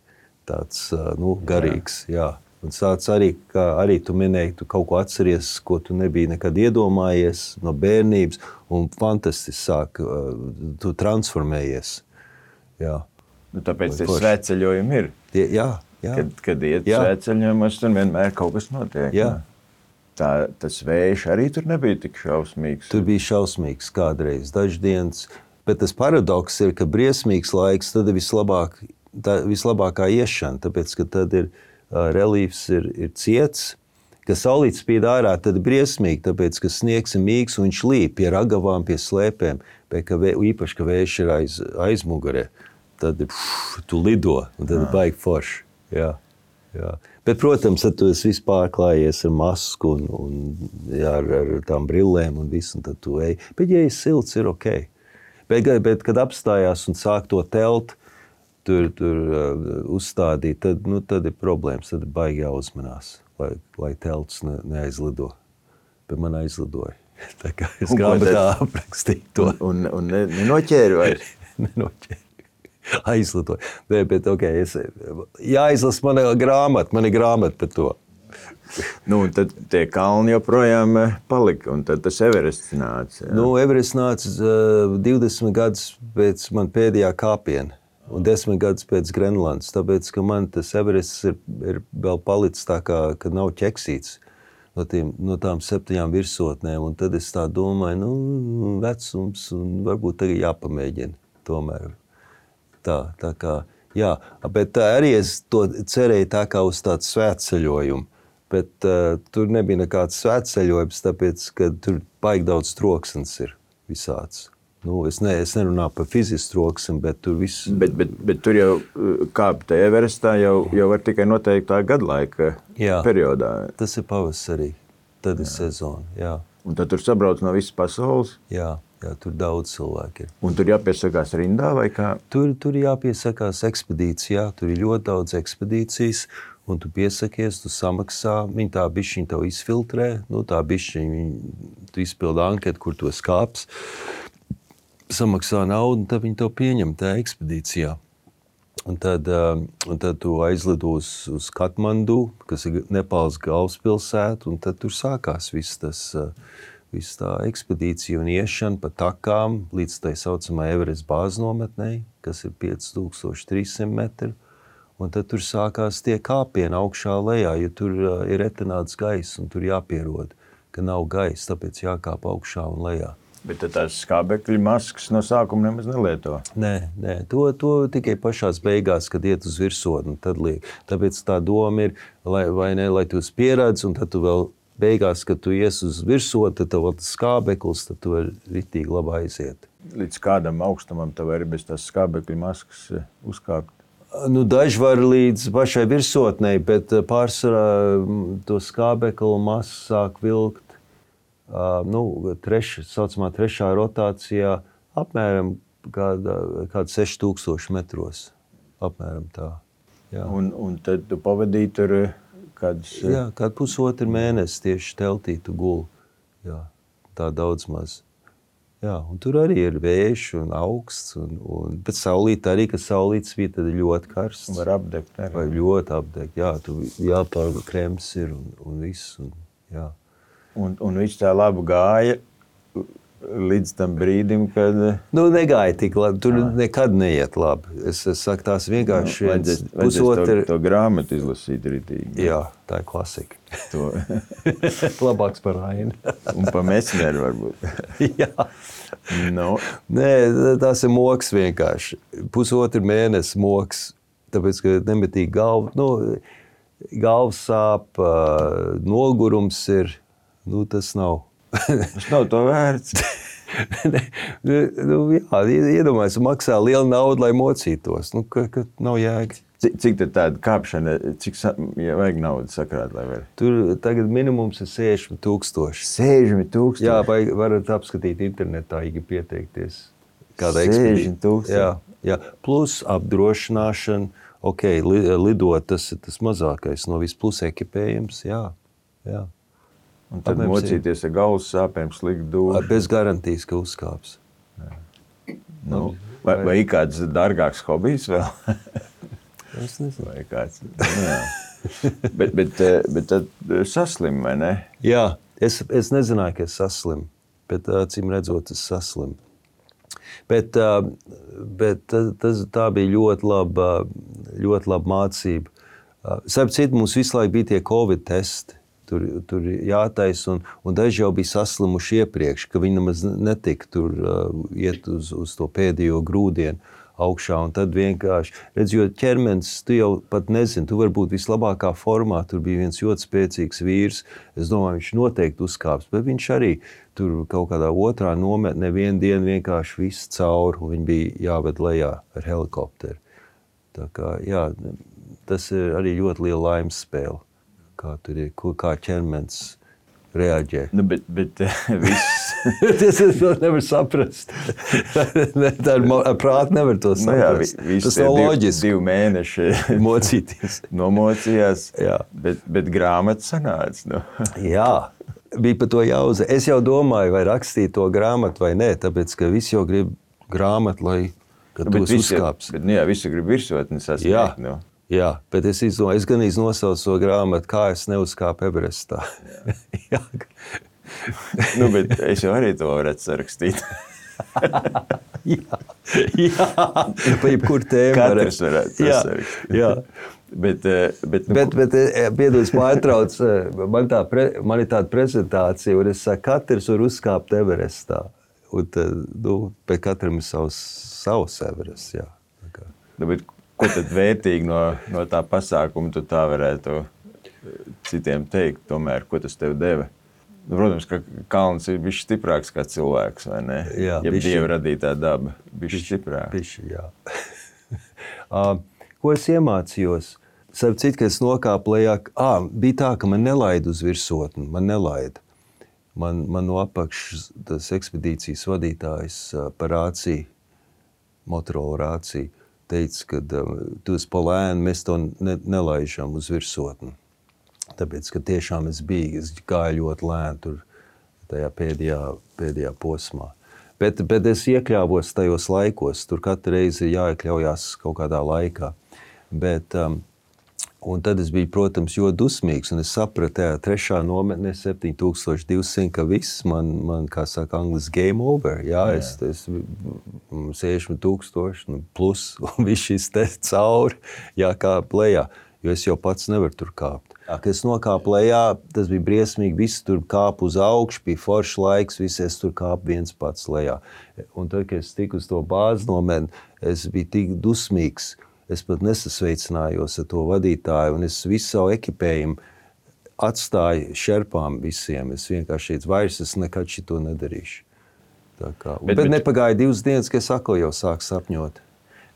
Tāds, uh, nu, garīgs, jā. jā. Un sāc arī, kā arī tu minēji, tu kaut ko atceries, ko tu nebija nekad iedomājies no bērnības, un fantastiski sāk, tu transformējies. Jā. Nu, tāpēc tie svētceļojumi ir. Tie, jā, jā. Kad, kad iet svētceļojumos, tur vienmēr kaut kas notiek. Jā. Tā, tas vējš arī tur nebija tik šausmīgs. Tur bija šausmīgs kādreiz, daždienas, bet tas paradoks ir, ka briesmīgs laiks, tad ir vislabāk, tā, vislabākā iešana, tāpēc, ka tad ir reliefs ir, ir ciets, ka saulīt spīd ārā, tad briesmīgi, tāpēc, ka sniegs ir mīgs un viņš līp pie ragavām, pie slēpēm, bet ka vē, īpaši, ka vējš ir aiz, aizmugurē, tad pff, tu lido, un tad ir baigi forši. Jā, jā. Bet, protams, tad tu esi viss pārklājies ar masku un, un jā, ar, ar tām brillēm un visu, un tad tu ej. Bet, ja ir silts, ir ok. Bet, bet kad apstājās un sāk to telt, tur, tur uh, uzstādīt, tad, nu, tad ir problēmas, tad ir baigi jāuzmanās, lai, lai telts ne, neaizlido. Bet man aizlidoja. Tā kā es grāmatā aprakstīju to. Un, un, un nenoķēri vai? Nenoķēri. Aizlidoja. Nē, bet ok, es, jāizlas mana grāmata, man ir grāmata par to. Nu, un tad tie kalni joprojām palika, un tad tas Everests nāca. Jā. Nu, Everests nāca uh, divdesmit gadus pēc man pēdējā kāpiena. Un desmit gadus pēc Grenlandes, tāpēc, ka man tas Everests ir, ir vēl palicis tā kā, ka nav ķeksīts no, tiem, no tām septiņām virsotnēm, un tad es tā domāju, nu, vecums, un varbūt tagad jāpamēģina tomēr. Tā, tā kā, jā, bet tā arī es to cerēju tā kā uz tādu svētceļojumu, bet uh, tur nebija nekāds svētceļojums, tāpēc, ka tur baigi daudz troksnes ir visāds. Nu, es, ne, es nerunāju par fizisku troksni, bet tur viss... Bet, bet, bet tur jau kāpt Everestā jau, jau var tikai noteiktā gadlaika jā, periodā. Tas ir pavasarī, tad jā. Ir sezona, jā. Un tad tur sabrauc no visas pasaules? Jā, jā, tur daudz cilvēki ir. Un tur jāpiesakās rindā vai kā? Tur, tur jāpiesakās ekspedīcijā, tur ir ļoti daudz ekspedīcijas, un tu piesakies, tu samaksā, viņi tā bišķiņ tev izfiltrē, nu tā bišķiņ, tu izpildi anketu, kur tu skāps, samaksā naudu, un tad viņi to pieņem tajā ekspedīcijā. Un tad, un tad tu aizlido uz, uz Katmandu, kas ir Nepāls galvaspilsēta, un tad tur sākās viss tas, viss tā ekspedīcija un iešana pa takām līdz tai saucamā Everest bāznometnei, kas ir pieci tūkstoši trīs simti metri. Un tad tur sākās tie kāpieni augšā lejā, jo tur ir retenāts gaiss, un tur jāpierod, ka nav gaisa, tāpēc jākāp augšā un lejā. Bet tās skābekļa maskas no sākuma nemaz nelieto? Nē, nē, to, to tikai pašās beigās, kad iet uz virsotni, tad liek. Tāpēc tā doma ir, lai, vai ne, lai tu esi pieradzi, un tad tu vēl beigās, kad tu ies uz virsotni, tad tev tas skābeklis, tad tu vari ritīgi labi aiziet. Līdz kādam augstumam tev arī bez tās skābekļa maskas uzkāpt? Nu, daži var līdz pašai virsotnei, bet pārsvarā to skābekļa masu sāk vilkt. Uh, nu, treša, saucamā trešā rotācijā apmēram kāda, kāda seši tūkstoši metros. Apmēram tā. Jā. Un, un tad tu pavadīji tur kādas... Jā, kādu pusotru mēnesi tieši teltī tu guli. Jā, tā daudz maz. Jā, un tur arī ir vējš un augsts, un, un, bet saulīt arī, ka saulīts bija tad ļoti karsts. Var apdegt arī. Vai ļoti apdegt, jā, tu jāpārva krems ir un, un viss, un jā. Un, un viss tā labi gāja, līdz tam brīdim, kad... Nu, negāja tik labi. Tur jā. Nekad neiet labi. Es, es saku, tās vienkārši... Nu, vajadzēs, vajadzēs to, to grāmatu izlasīt rītīgi. Jā, tā ir klasika. To. Labāks par Ainu. Un pa Mesneru varbūt. Jā. No. Nē, tās ir moks vienkārši. Pusotru mēnesi moks, tāpēc, ka nemetīgi galva... Nu, galvas sāp, nogurums ir, nu tas nav. Tas nav to vērts. nu, jā, iedomājies, maksā lielu naudu, lai mocītos. Nu, ka, ka nav jēga. Cik, cik tad tāda kāpšana, cik ja vajag naudu sakrāt, lai var? Tur tagad minimums ir sešdesmit tūkstoši. sešdesmit tūkstoši? Jā, vai varat apskatīt internetā, ja pieteikties. Kāda sešdesmit tūkstoši? Jā, jā. Plus apdrošināšana. Ok, lidot, tas ir tas mazākais no visplus ekipējums, jā, jā. Un tad Apmēr mocīties ar galvas sāpēm, slikt dūšu. Bez garantijas, ka uzkāps. Nu, vai, vai ir kāds dārgāks hobijs vēl? Es nezinu. Vai kāds, jā. bet, bet, bet tad saslim, vai ne? Jā, es, es nezināju, ka es saslim, bet acīm redzot, es saslim. Bet, bet tas, tā bija ļoti laba, ļoti laba mācība. Starp citu, mums visu laiku bija tie Covid testi, tur, tur jātais, un, un daži jau bija saslimuši iepriekš, ka viņi nemaz netika tur iet uz, uz to pēdējo grūdienu augšā, un tad vienkārši, redz, jo ķermenis, tu jau pat nezini, tu vari būt vislabākā formā, tur bija viens ļoti spēcīgs vīrs, es domāju, viņš noteikti uzkāps, bet viņš arī tur kaut kādā otrā nometnē vienu dienu vienkārši viss cauri, un viņi bija jāved lejā ar helikopteru. Tā kā, jā, tas ir arī ļoti liela laimes spēle, kā tur ir, kā ķermenis reaģē. Nu, bet, bet viss... Tas es nevar saprast. Tā ir prāti nevar to saprast. Nu jā, tas nav loģiski. Divi mēneši mocīties. Nomocījās, jā. Bet, bet grāmata sanāca. Nu. Jā, bija par to jāuzē. Es jau domāju, vai rakstīt to grāmatu vai nē, tāpēc, ka visi jau grib grāmatu, lai kad nu, tos uzkāps. Bet, nu jā, visi grib virsotni sasniegt. Jā. Nu. Jā, bet es izdomāju, es gan iznosaucu to grāmatu, kā es neuzkāpu Everestā. Jā. Nu, bet es jau arī to varētu sarakstīt. jā, jā, pa jebkur tēmu. Katrs varētu to sarakstīt. Jā, bet, bet, nu, bet, bet piedod, pārtrauc, man, tā pre, man ir tāda prezentācija, un es saku, katrs var uzkāpt Everestā. Un tad, nu, pēc katram ir savs, savs Everests, jā. Nu, bet ko tad vērtīgi no, no tā pasākuma tu tā varētu citiem teikt, tomēr, ko tas tev deva? Nu, protams, ka kalns ir bišķi stiprāks kā cilvēks, vai ne? Jā, ja bišķi. Dieva radītā daba, bišķi stiprāk. Bišķi, jā. uh, ko es iemācījos? Starp citu, ka es nokāpu lejā, ā, bija tā, ka man nelaida uz virsotni, man nelaida. Man, man no apakšas tas ekspedīcijas vadītājs uh, par rāciju, Motorola rāciju, teica, ka uh, tu esi pa lēnu, mēs to ne, nelaižam uz virsotni. Tāpēc, ka tiešām es biju, es gāju ļoti lēni tur tajā pēdējā, pēdējā posmā. Bet, bet es iekļāvos tajos laikos, tur katru reizi ir jāiekļaujās kaut kādā laikā. Bet, um, un tad es biju, protams, ļoti dusmīgs, un es sapratu, tajā trešā nometnē septiņi tūkstoši divsimt, ka viss man, man, kā saka angliski, game over. Jā, jā. es, es sešdesmit tūkstoši plus, un viss šis te cauri jākāp lejā, jo es jau pats nevaru tur kāpt. Kad es nokāpu lejā, tas bija briesmīgi, visi tur kāpu uz augšu, bija foršs laiks, visi es tur kāpu viens pats lejā. Un tad, kad es tiku uz to bāzi nometni, es biju tik dusmīgs, es pat nesasveicinājos ar to vadītāju, un es visu savu ekipējumu atstāju šerpām visiem. Es vienkārši teicu, vairs es nekad šito nedarīšu. Tā kā, bet, bet, bet nepagāja divas dienas, ka es atkal jau sāku sapņot.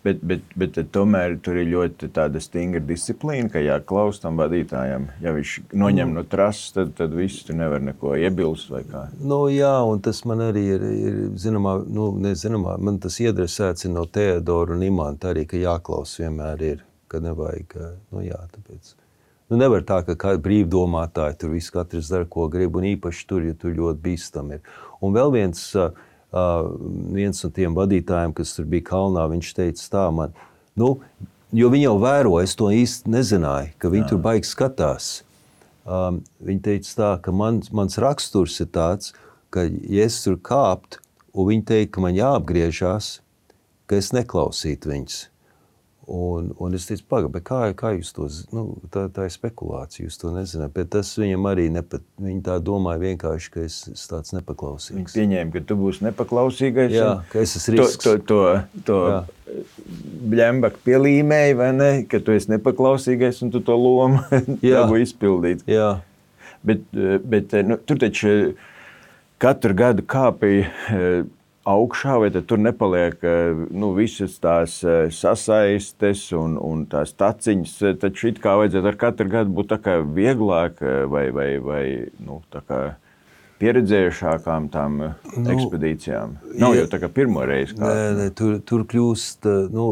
Bet, bet, bet tomēr tur ir ļoti tāda stingra disciplīna, ka jāklaus tam vadītājam. Ja viņš noņem no trases, tad, tad viss tu nevar neko iebilst vai kā. Nu jā, un tas man arī ir, ir zināmā, nu nezināmā, man tas iedresēts no Teodora un Imanta arī, ka jāklaus vienmēr ir, ka nevajag, nu jā, tāpēc. Nu nevar tā, ka kā brīvdomātāji tur viss katrs dara, ko grib, un īpaši tur, ja tur ļoti bīstam ir. Un vēl viens... Uh, viens no tiem vadītājiem, kas tur bija kalnā, viņš teica tā man, nu, jo viņi jau vēro, es to īsti nezināju, ka viņi Jā. Tur baigi skatās. Um, viņi teica tā, ka man, mans raksturs ir tāds, ka ja es tur kāptu, un viņi teikt, ka man jāapgriežās, ka es neklausītu viņus. Un, un es teicu, paga, bet kā, kā jūs to, nu, tā, tā ir spekulācija, jūs to nezināt, bet tas viņam arī nepat, viņi tā domāja vienkārši, ka es, es tāds nepaklausīgs. Viņi pieņēma, ka tu būsi nepaklausīgais. Jā, ka es esmu risks. To, to, to, to bļembak pielīmēji, vai ne, ka tu esi nepaklausīgais un tu to lomu dabū izpildīt. Jā. Bet, bet nu, tur taču katru gadu kāpīja augšā, vai tad tur nepaliek nu, visas tās sasaistes un, un tās taciņas, taču it kā vajadzētu ar katru gadu būt tā kā vieglāk vai, vai, vai nu, tā kā pieredzējušākām tām nu, ekspedīcijām. Nav jau tā kā pirmo reizi kā. Nē, nē, tur, tur kļūst, nu,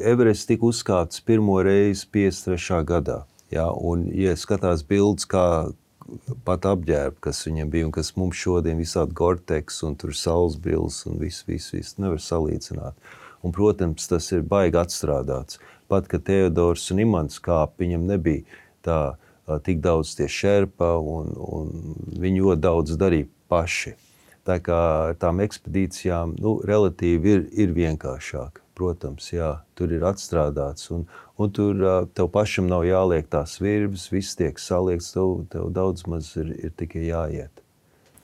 Everests tika uzkāpts pirmo reizi piecdesmit trešā gadā. Jā, un, ja skatās bildes, kā pat apģērbi, kas viņam bija un kas mums šodien visādi Gore-Tex un tur saules brilles un viss, viss, viss, nevar salīdzināt. Un, protams, tas ir baigi atstrādāts. Pat, ka Teodors un Imants kāp, viņam nebija tā tik daudz tie šerpa un, un viņi ļoti daudz darīja paši. Tā kā tām ekspedīcijām, nu, relatīvi ir, ir vienkāršāk. Protams, jā, tur ir atstrādāts un, un tur tev pašam nav jāliek tās virbas, viss tiek saliekts, tev, tev daudz maz ir, ir tikai jāiet.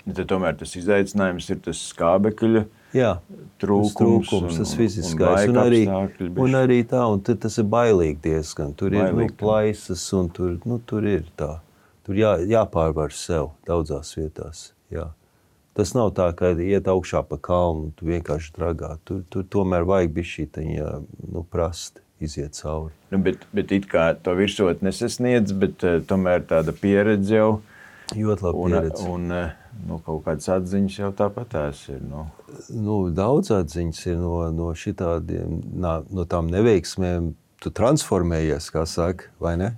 Tad tomēr tas izaicinājums ir tas skābekļa jā, trūkums, trūkums un, tas fiziskais. Un, un, arī, un arī tā, un tas ir bailīgi diezgan. Tur bailīgi. Ir nu, plaisas un tur, nu, tur ir tā. Tur jā, jāpārvar sev daudzās vietās, jā. Tas nav tā, ka iet augšā pa kalnu, tu vienkārši dragā. Tur, tur tomēr vajag bišķītaņa, nu, prasti iziet cauri. Nu, bet, bet it kā to virsot nesasniedz, bet uh, tomēr tāda pieredze jau. Ļoti labi pieredze. Un, un nu, kaut kādas atziņas jau tāpatās ir. Nu. Nu, daudz atziņas ir no, no šitādiem, no tām neveiksmēm. Tu transformējies, kā saka, vai ne?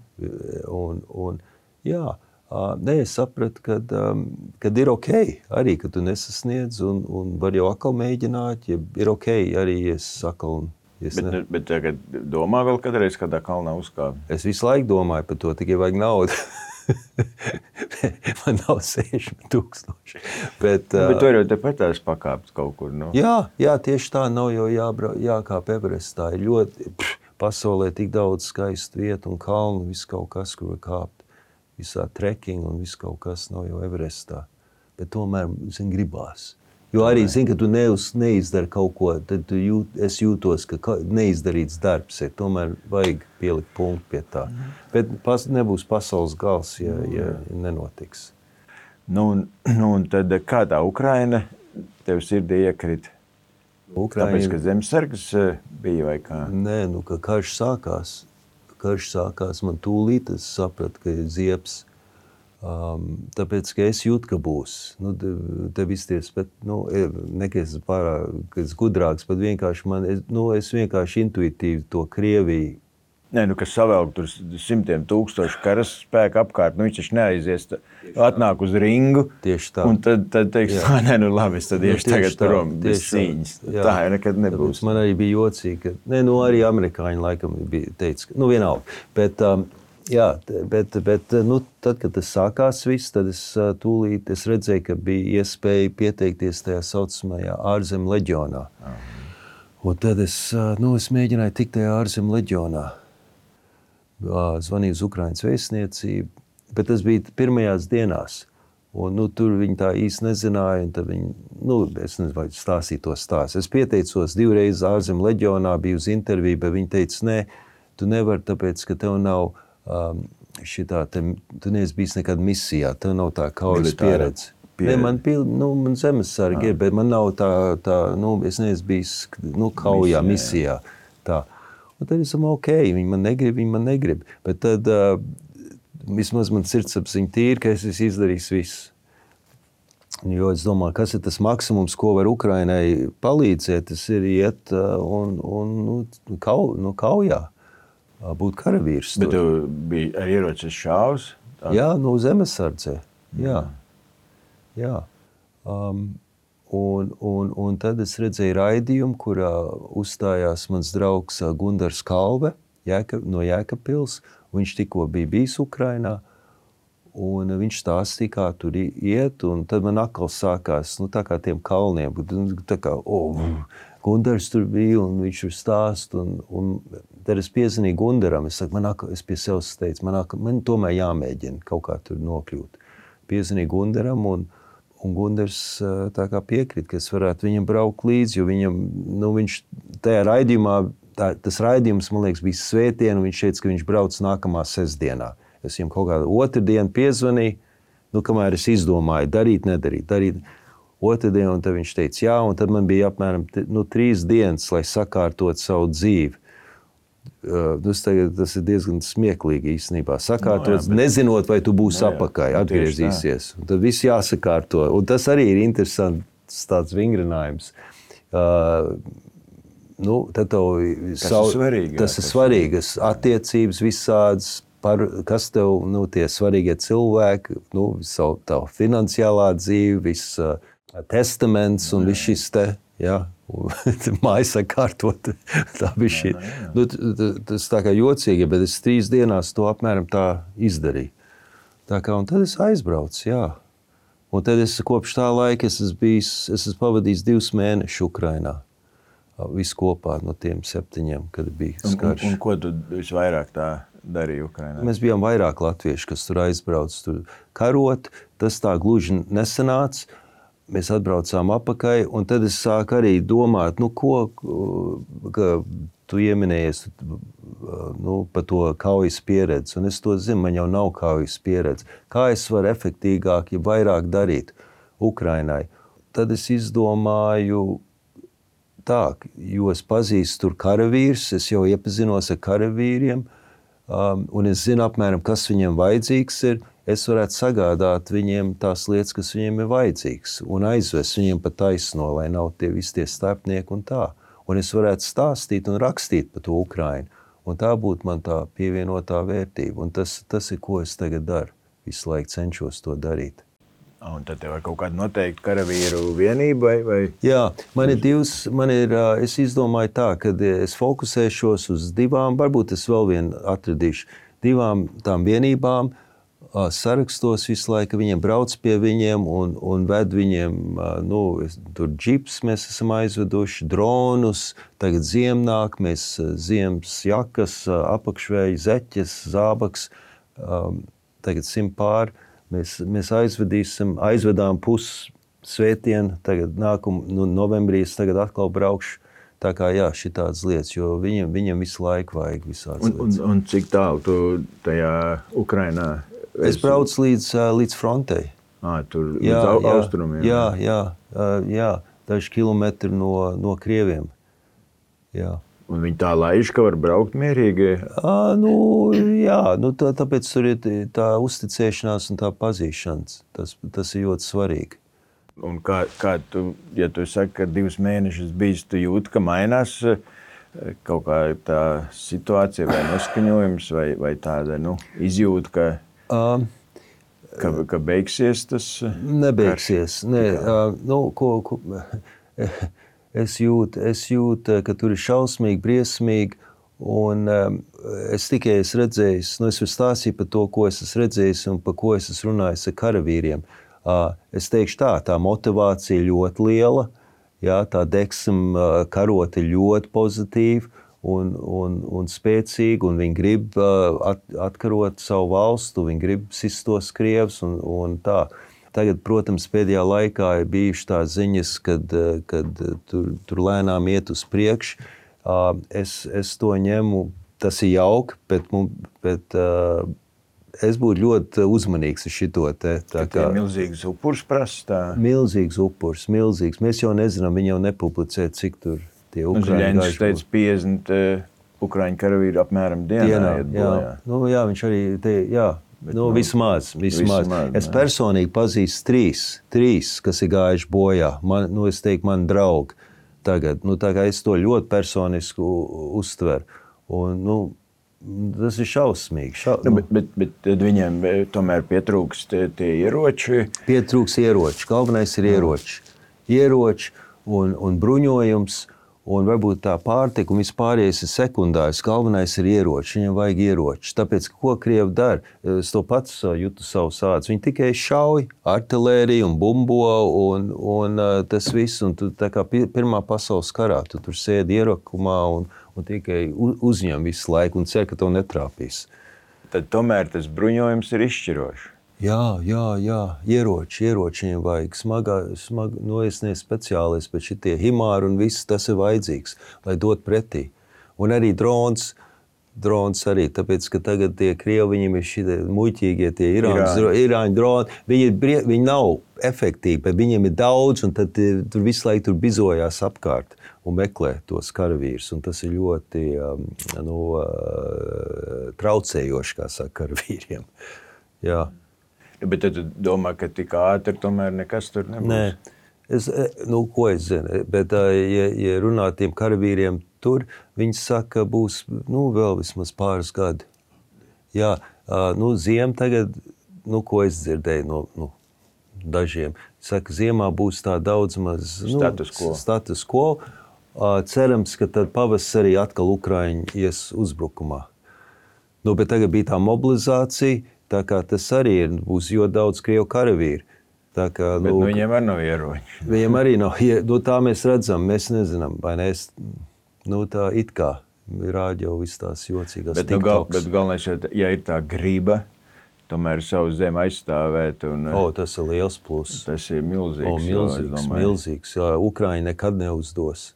Un, un jā. Nē, es sapratu, kad, um, kad ir ok, arī, ka tu nesasniedz un, un var jau atkal mēģināt, ja ir ok, arī es atkal... Es bet, ne... bet tagad domā vēl kādreiz kādā kalnā uzkāpt? Es visu laiku domāju par to, tikai vajag naudu. Man nav sešdesmit tūkstoši. Bet, uh... bet tu arī tepatās pakāpt kaut kur, nu? Jā, jā, tieši tā nav jau jābra... jākāp Everestā. Ir ļoti pff, pasaulē tik daudz skaistu vietu un kalnu, viss kaut kas, kur var kāpt. Visā trekking un viss kaut kas nav jau Everestā. Bet tomēr, zin, gribās. Jo arī, zin, ka tu neuz, neizdari kaut ko, tad tu jūt, es jūtos, ka neizdarīts darbs ir. Tomēr vajag pielikt punktu pie tā. Mm. Bet pas, nebūs pasaules gals, ja, ja nenotiks. Nu, nu, un tad kā tā Ukraina tev sirdī iekrita? Ukraina... Tāpēc, ka zemesargs bija vai kā? Nē, nu, ka karš sākās. Karš sākās, man tūlīt, es sapratu, ka ir ziepes, um, tāpēc, ka es jūtu, ka būs. Nu, tev izties, bet, nu, ne, ka es pārāk, ka es gudrāks, bet vienkārši man, es, nu, es vienkārši intuitīvi to Krieviju. Nē, nu, kas savelk tur simtiem tūkstošu karas spēku apkārt, nu, viņš taču neaizies, atnāk uz ringu. Tieši tā. Un tad, tad teiks, tā, nē, nu, labi, es tad iešu nu, tagad prom bez cīņas. Jā. Tā jau nekad nebūs. Tāpēc man arī bija jocīgi, ka, nē, nu, arī amerikāņi laikam bija teica, ka, nu, vienalga. Bet, um, jā, bet, bet, nu, tad, kad tas sākās viss, tad es tūlīt, es redzēju, ka bija iespēja pieteikties tajā saucamajā ārzem leģionā. Aha. Un tad es, nu, es mēģināju tikt tajā ārzem leģionā. Zvanīju uz Ukrainas vēstniecību, bet tas bija pirmajās dienās. Un, nu, tur viņi tā īsti nezināja, un tad viņi, nu, es nezinu, vai stāstīja to stāstu. Es pieteicos divreiz ārzem leģionā, biju uz interviju, bet viņi teica, nē, tu nevari, tāpēc, ka tev nav um, šitā, te, tu neesi bijis nekad misijā, tev nav tā kaujas pieredze. Ne, man, nu, man zemesargi ir, bet man nav tā, tā nu, es neesmu bijis nu, kaujā, misijā. Tā. Un tad es domāju, ok, viņi man negrib, viņi man negrib. Bet tad uh, vismaz man sirdsapziņa tīra, ka es esmu izdarījis visu. Jo es domāju, kas ir tas maksimums, ko var Ukrainai palīdzēt, tas ir iet uh, un, un nu, kau, nu, kaujā, uh, būt karavīrs. Bet tu biji ar ieročes šāvs? Tā? Jā, nu zemesardzē, jā. jā. Um, Un, un, un tad es redzēju raidījumu, kurā uzstājās mans draugs Gundars Kalve Jēka, no Jēkabpils. Viņš tikko bija bijis Ukrainā. Un viņš stāstīja, kā tur iet, un tad man atkal sākās, nu, tā kā tiem kalniem, tā kā, oh, Gundars tur bija, un viņš tur stāst, un, un tad es piezvanīju Gundaram, es saku, man atkal, es pie sevis teicu, man atkal, man tomēr jāmēģina kaut kā tur nokļūt. Piezvanīju Gundaram, un, un Gundars tā kā piekrīt, ka es varētu viņam braukt līdzi, jo viņam, nu, viņš tajā raidījumā, tā, tas raidījums, man liekas, bija svētdien, un viņš teica, ka viņš brauc nākamā sestdienā. Es viņam kaut kādu otrdienu piezvanīju, nu, kamēr es izdomāju, darīt, nedarīt, darīt. Otrdienu, un tad viņš teica, jā, un tad man bija apmēram nu, trīs dienas, lai sakārtot savu dzīvi. Uh, tagad, tas ir diezgan smieklīgi īstenībā. Sakārtot, no, jā, bet... nezinot, vai tu būsi no, apakai, atgriezīsies. Un tad viss jāsakārto. Un tas arī ir interesants tāds vingrinājums. Uh, nu, tad tev tas savu, ir svarīgi. Tas jā, ir svarīgas attiecības visādas. Par, kas tev, nu, tie svarīgie cilvēki, nu, savu tavu finansiālā dzīve, viss uh, testaments un viss šis te, jā, mājas sakārtot, tā bija šī. Nu, tas tā kā jocīgi, bet es trīs dienās to apmēram tā izdarīju. Tā kā, un tad es aizbraucu, jā. Un tad es kopš tā laika es esmu bijis, es esmu pavadījis divus mēnešus Ukrainā. Visu kopā no tiem septiņiem, kad bija skarš. Un, un, un ko tu visvairāk tā darīja Ukrainā? Mēs bijām vairāk latvieši, kas tur aizbrauc tur karot. Tas tā gluži nesanāca. Mēs atbraucām apakai, un tad es sāku arī domāt, nu, ko, ka tu ieminējies nu, par to kaujas pieredzi. Un es to zinu, man jau nav kaujas pieredzi. Kā es varu efektīgāk, ja vairāk darīt Ukrainai? Tad es izdomāju tā, jo es pazīstu tur karavīrus, es jau iepazinos ar karavīriem, um, un es zinu apmēram, kas viņiem vajadzīgs ir. Es varētu sagādāt viņiem tās lietas, kas viņiem ir vajadzīgs, un aizvest viņiem pa taisno, lai nav tie visi tie starpnieki un tā. Un es varētu stāstīt un rakstīt par to Ukrainu, un tā būtu man tā pievienotā vērtība. Un tas, tas ir, ko es tagad daru. Visu laiku cenšos to darīt. Un tad tev ir kaut kāda noteikta karavīru vienība? Vai, vai? Jā, man ir divas, man ir, es izdomāju tā, ka es fokusēšos uz divām, varbūt es vēl vienu atradīšu, divām tām vienībām, sarakstos visu laiku, viņiem brauc pie viņiem un, un ved viņiem, nu, tur džips mēs esam aizveduši, dronus, tagad ziem nāk, mēs ziemas jakas, apakšvēji, zeķes, zābaks, tagad simt pāri. Mēs, mēs aizvedīsim, aizvedām pusi svētdienu, tagad nākumu, nu, novembrī es tagad atkal braukšu. Tā kā jā, šitādas lietas, jo viņam, viņam visu laiku vajag visādas un, lietas. Un, un cik tālu tu tajā Ukrainā? Es braucu līdz, līdz frontei. À, tur jā, līdz jā, austrumiem? Jā, jā, jā, daži kilometri no, no Krieviem. Jā. Un viņi tā laiž, ka var braukt mierīgi? À, nu, jā, nu, tā, tāpēc tur ir tā uzticēšanās un tā pazīšanas. Tas, tas ir ļoti svarīgi. Un kā, kā tu, ja tu saki, ka divus mēnešus bijis, tu jūti, ka mainās kaut kā tā situācija vai noskaņojums vai, vai tāda, nu, izjūta, ka, um, ka, ka beigsies tas? Nebeigsies. Nē, uh, nu, ko... ko Es jūtu, es jūtu, ka tur ir šausmīgi, briesmīgi, un um, es tikai esmu redzējis, nu es varu stāstīt par to, ko es esmu redzējis un par ko es esmu runājis ar karavīriem. Uh, es teikšu tā, tā motivācija ļoti liela, jā, tā deksme uh, karot ir ļoti pozitīva un, un, un spēcīga, un viņi grib uh, at, atkarot savu valstu, viņi grib sist tos krievus un, un tā. Tagad, protams, pēdējā laikā ir bijušas tās ziņas, kad, kad tur, tur lēnām iet uz priekšu. Es, es to ņemu, tas ir jauki, bet, bet es būtu ļoti uzmanīgs ar šito te. Tā kā milzīgs upurs prasa? Milzīgs upurs, milzīgs. Mēs jau nezinām, viņi jau nepublicē, cik tur tie Ukraiņi gājuši. Ziļeņš teica piecdesmit Ukraiņu karavīri apmēram dienā. dienā iet bojā. Jā, nu, jā, viņš arī te, jā. Bet, nu, vismaz, vismaz. vismaz. Es personīgi pazīstu trīs, trīs, kas ir gājuši bojā. Man, nu, es teiktu, man draugi tagad. Nu, tā kā es to ļoti personiski uztveru. Un, nu, tas ir šausmīgi. Šau, nu, bet, bet, bet tad viņiem tomēr pietrūks tie, tie ieroči? Pietrūks ieroči. Galvenais ir ieroči. Ieroči un, un bruņojums. un varbūt tā pārtika un vispārējais ir sekundārs. Galvenais ir ieroči, viņam vajag ieroči. Tāpēc, ko Krievi dara, es to pats jūtu savu sāds. Viņi tikai šauj artilēriju un bumbo un, un tas viss. Un tu, tā kā pirmā pasaules karā, tu tur sēdi ierakumā un, un tikai uzņem visu laiku un cer, ka tev netrāpīs. Tad tomēr tas bruņojums ir izšķirošs. Jā, jā, jā, ieroči, ieroči viņam vajag, smagā, smag, no es ne speciālists, bet šitie himāri un viss tas ir vajadzīgs, lai dot pretī. Un arī drons, drons arī, tāpēc, ka tagad tie Krievi, viņiem ir šitie muļķīgie, tie Irāņu, Irāņu droni, viņi, ir, viņi nav efektīvi, bet viņiem ir daudz, un tad tur visu laiku tur bizojās apkārt un meklē tos karavīrus, un tas ir ļoti nu, traucējoši, kā saka, karavīriem. Jā. Bet tad tu domā, ka tik ātri tomēr nekas tur nebūs? Nē, es, nu, ko es zinu, bet ja, ja runā tiem karavīriem tur, viņi saka, būs, nu, vēl vismaz pāris gadi. Jā, nu, ziem tagad, nu, ko es dzirdēju no, nu, dažiem, saka, ziemā būs tā daudz maz, nu, status quo. Status quo. Cerams, ka tad pavasarī atkal Ukraiņi ies uzbrukumā. Nu, bet tagad bija tā mobilizācija, tā kā tas arī ir, būs ļoti daudz Krievu karavīru. Tā kā, bet nu, nu, viņiem arī nav ieroņi. Viņiem arī nav, nu, tā mēs redzam, mēs nezinām, vai ne, es, nu, tā it kā rāģo viss tās jocīgās bet, nu, gal, bet galvenais, ja ir tā griba, tomēr savu zemi aizstāvēt. Un, o, tas ir liels pluss. Tas ir milzīgs. O, milzīgs, milzīgs. Jā, Ukraiņi nekad neuzdos.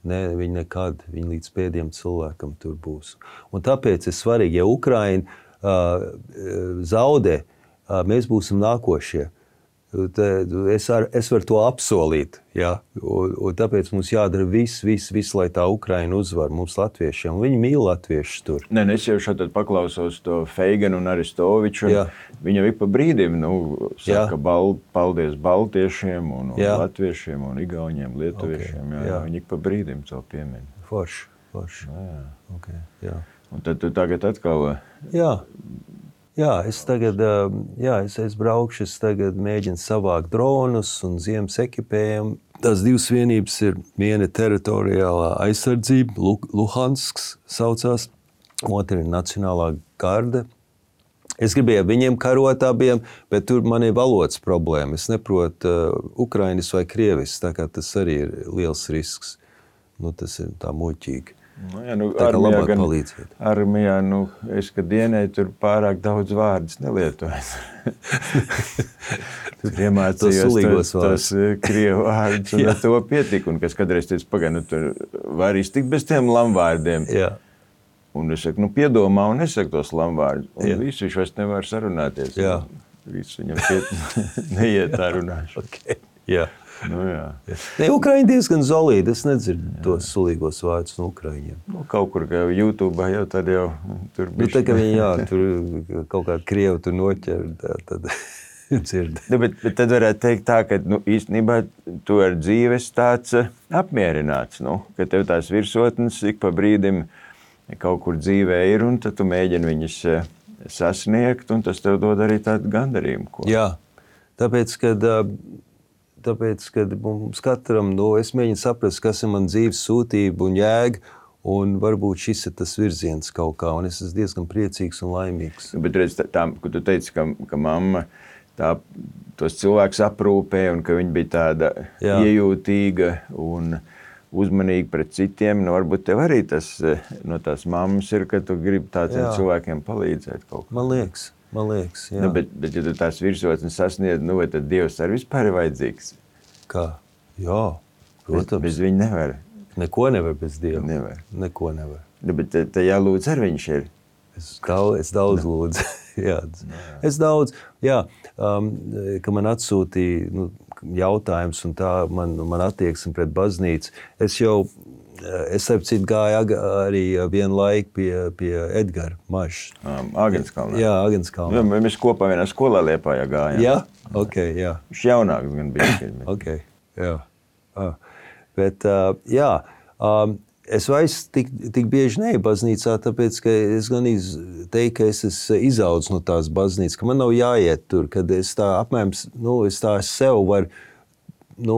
Ne, viņi nekad, viņi līdz pēdējiem cilvēkam tur būs. Un tāpēc ir svarīgi, ja Ukraiņi Uh, zaudē, uh, mēs būsim nākošie. Te, es, ar, es varu to apsolīt, ja? un, un tāpēc mums jādara viss, viss, viss, lai tā Ukraina uzvar mums latviešiem. Viņi mīl latviešus tur. Nē, es jau šādi paklausos to Feiganu un Aristoviču. Viņa ik pa brīdim nu, saka bal, paldies baltiešiem un, un latviešiem un igauņiem, lietuviešiem. Okay. Jā, jā. Viņi ik pa brīdim to piemin. Forši, forši. Jā, jā. Okay, jā. Un tad tu tagad atkal... Jā, jā es tagad jā, es, es braukšu, es tagad mēģinu savākt dronus un ziemas ekipējumu. Tās divas vienības ir viena teritoriālā aizsardzība, Luhansks saucās, otra ir Nacionālā garde. Es gribēju viņiem karot abiem, bet tur man ir valodas problēma. Es neprotu uh, ukrainis vai krievis, tā kā tas arī ir liels risks. Nu, tas ir tā muļķīgi. Nu, jā, nu, armijā, gan, armijā, nu, es, kad dienēju, tur pārāk daudz vārdus nelietojas. Tur iemācījos tos, tos krievu vārdus, un ar to pietika. Un kas kādreiz teica, pagaid, nu, tur var iztikt bez tiem lamvārdiem. Jā. Un es saku, nu, piedomā un nesaku tos lamvārdus. Un jā. Visu viņš vairs nevar sarunāties. Jā. Visu viņam piet, neiet tā runāšu. Okay. Jā. Nu, jā. Ne, Ukraiņi diezgan zolīdi, es nedzirdu tos sulīgos vārdus no Ukraiņiem. Nu, kaut kur kā YouTube jau tad jau tur bišķi. Nu, tā kā viņi, jā, tur kaut kādu krievu tur noķer, tā, tad dzird. Nu, bet, bet tad varētu teikt tā, ka nu, īstenībā tu ar dzīves tāds apmierināts, nu, ka tev tās virsotnes ik pa brīdim kaut kur dzīvē ir, un tad tu mēģini viņas sasniegt, un tas tev dod arī tādu gandarījumu. Ko. Jā, tāpēc, kad... Tāpēc, kad mums katram, nu, es mēģinu saprast, kas ir man dzīves sūtība un jēga, un varbūt šis ir tas virziens kaut kā, un es esmu diezgan priecīgs un laimīgs. Bet redz, tā, ka tu teici, ka, ka mamma tā, tos cilvēkus aprūpē, un ka viņa bija tāda Jā. iejūtīga un uzmanīga pret citiem, nu, varbūt tev arī tas no tās mammas ir, ka tu gribi tādiem Jā. cilvēkiem palīdzēt kaut kā. Man liekas. Man liekas, jā. Nu, bet, bet, ja tu tās virsotnes sasniedz, nu, vai tad Dievs arī vispār ir vajadzīgs? Kā? Jā, protams. Bez, bez viņa nevar. Neko nevar bez Dieva. Nevar. Neko nevar. Nu, bet te, te jālūdz ar viņš ir. Es daudz, es daudz lūdzu. jā. Es daudz, jā, um, ka man atsūtīja nu, jautājums un tā man, man attieksme pret baznīcu. Es jau Es ap citu gāju arī vienu laiku pie, pie Edgara Mažs. Um, Āgenskalnā. Jā, Āgenskalnā. Jā, mēs kopā vienā skolā Liepājā gājām. Jā? Ok, jā. Viņš jaunāks gan bija. Ok, jā. Ah. Bet, uh, jā, um, es vairs tik, tik bieži neju baznīcā, tāpēc, ka es gan teiktu, ka es esmu izaudzis no tās baznīcas, ka man nav jāiet tur, kad es tā apmēram, nu, es tā sev varu nu,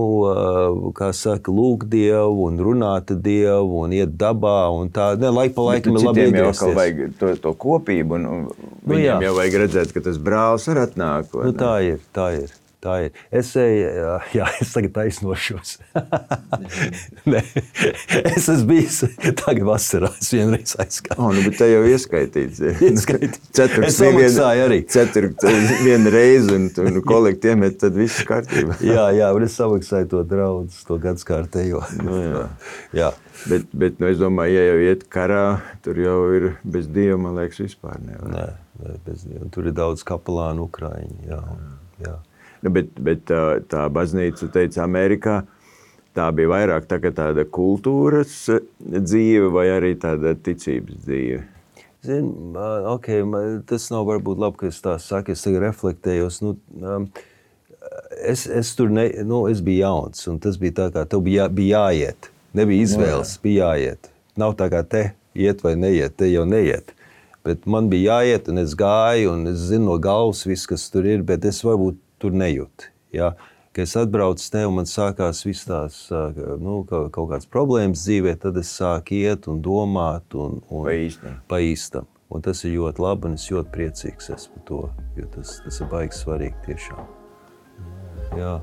kā saka, lūgt Dievu un runāt ar Dievu un iet dabā un tā. Ne, laik pa laikam ir labi iegriezties. Citiem jau vajag to, to kopību un Nu, viņiem jā. jau vajag redzēt, ka tas brālis var atnāk. vai Nu, ne? tā ir, tā ir. Tā ir. Es eju, jā, es tagad taisnošos. ne, es esmu bijis tagad vasarā, es vienreiz aizgāju. Oh, nu, bet te jau ieskaitīts. ir. Ieskaitīts. Ceturks Es samaksāju arī. Ceturks viena reize un tu nu, kolekti iemet, tad viss kārtībā. jā, jā, un es samaksāju to draudz, to gadskārtējo. Nu, jā. jā. Bet, bet nu, es domāju, ja jau iet karā, tur jau ir bez Dieva, man liekas, vispār nevar. Nē, nē, bez Dieva. Tur ir daudz kapelānu Ukraiņu. Jā, jā. Nu, bet, bet tā, tā baznīca, teica, Amerikā, tā bija vairāk tā, tāda kultūras dzīve vai arī tāda ticības dzīve? Zin, okay, tas nav varbūt labi, ka es tā saku, es tagad reflektējos. Nu, um, es, es tur ne, nu, es biju jauns, un tas bija tā kā, tev bija, jā, bija jāiet. Nebija izvēles, no, bija jāiet. Nav tā kā te iet vai neiet, te jau neiet. Bet man bija jāiet, un es gāju, un es zinu no galvas viss, kas tur ir, bet es varbūt tur nejūtu. Ja? Kad es atbraucu te un man sākās viss tās nu, kaut kādas problēmas dzīvē, tad es sāku iet un domāt un, un pa īstam. Pa īstam. Un tas ir ļoti labi un es ļoti priecīgs esmu par to, jo tas, tas ir baigi svarīgi tiešām. Jā.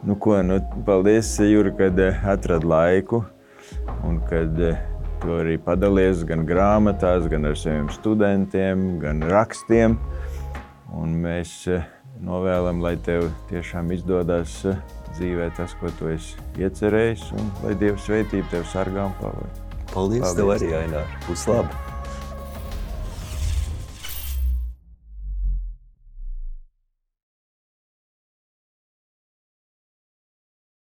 Nu ko, nu, paldies, Juri, kad atrad laiku un kad tu arī padalies gan grāmatās, gan ar saviem studentiem, gan rakstiem. Un mēs novēlam, lai tev tiešām izdodas dzīvē tas, ko tu esi iecerējis, un lai Dieva svētība tev sargā un pavada. Paldies, Paldies tev arī, Ainār. Būs labi.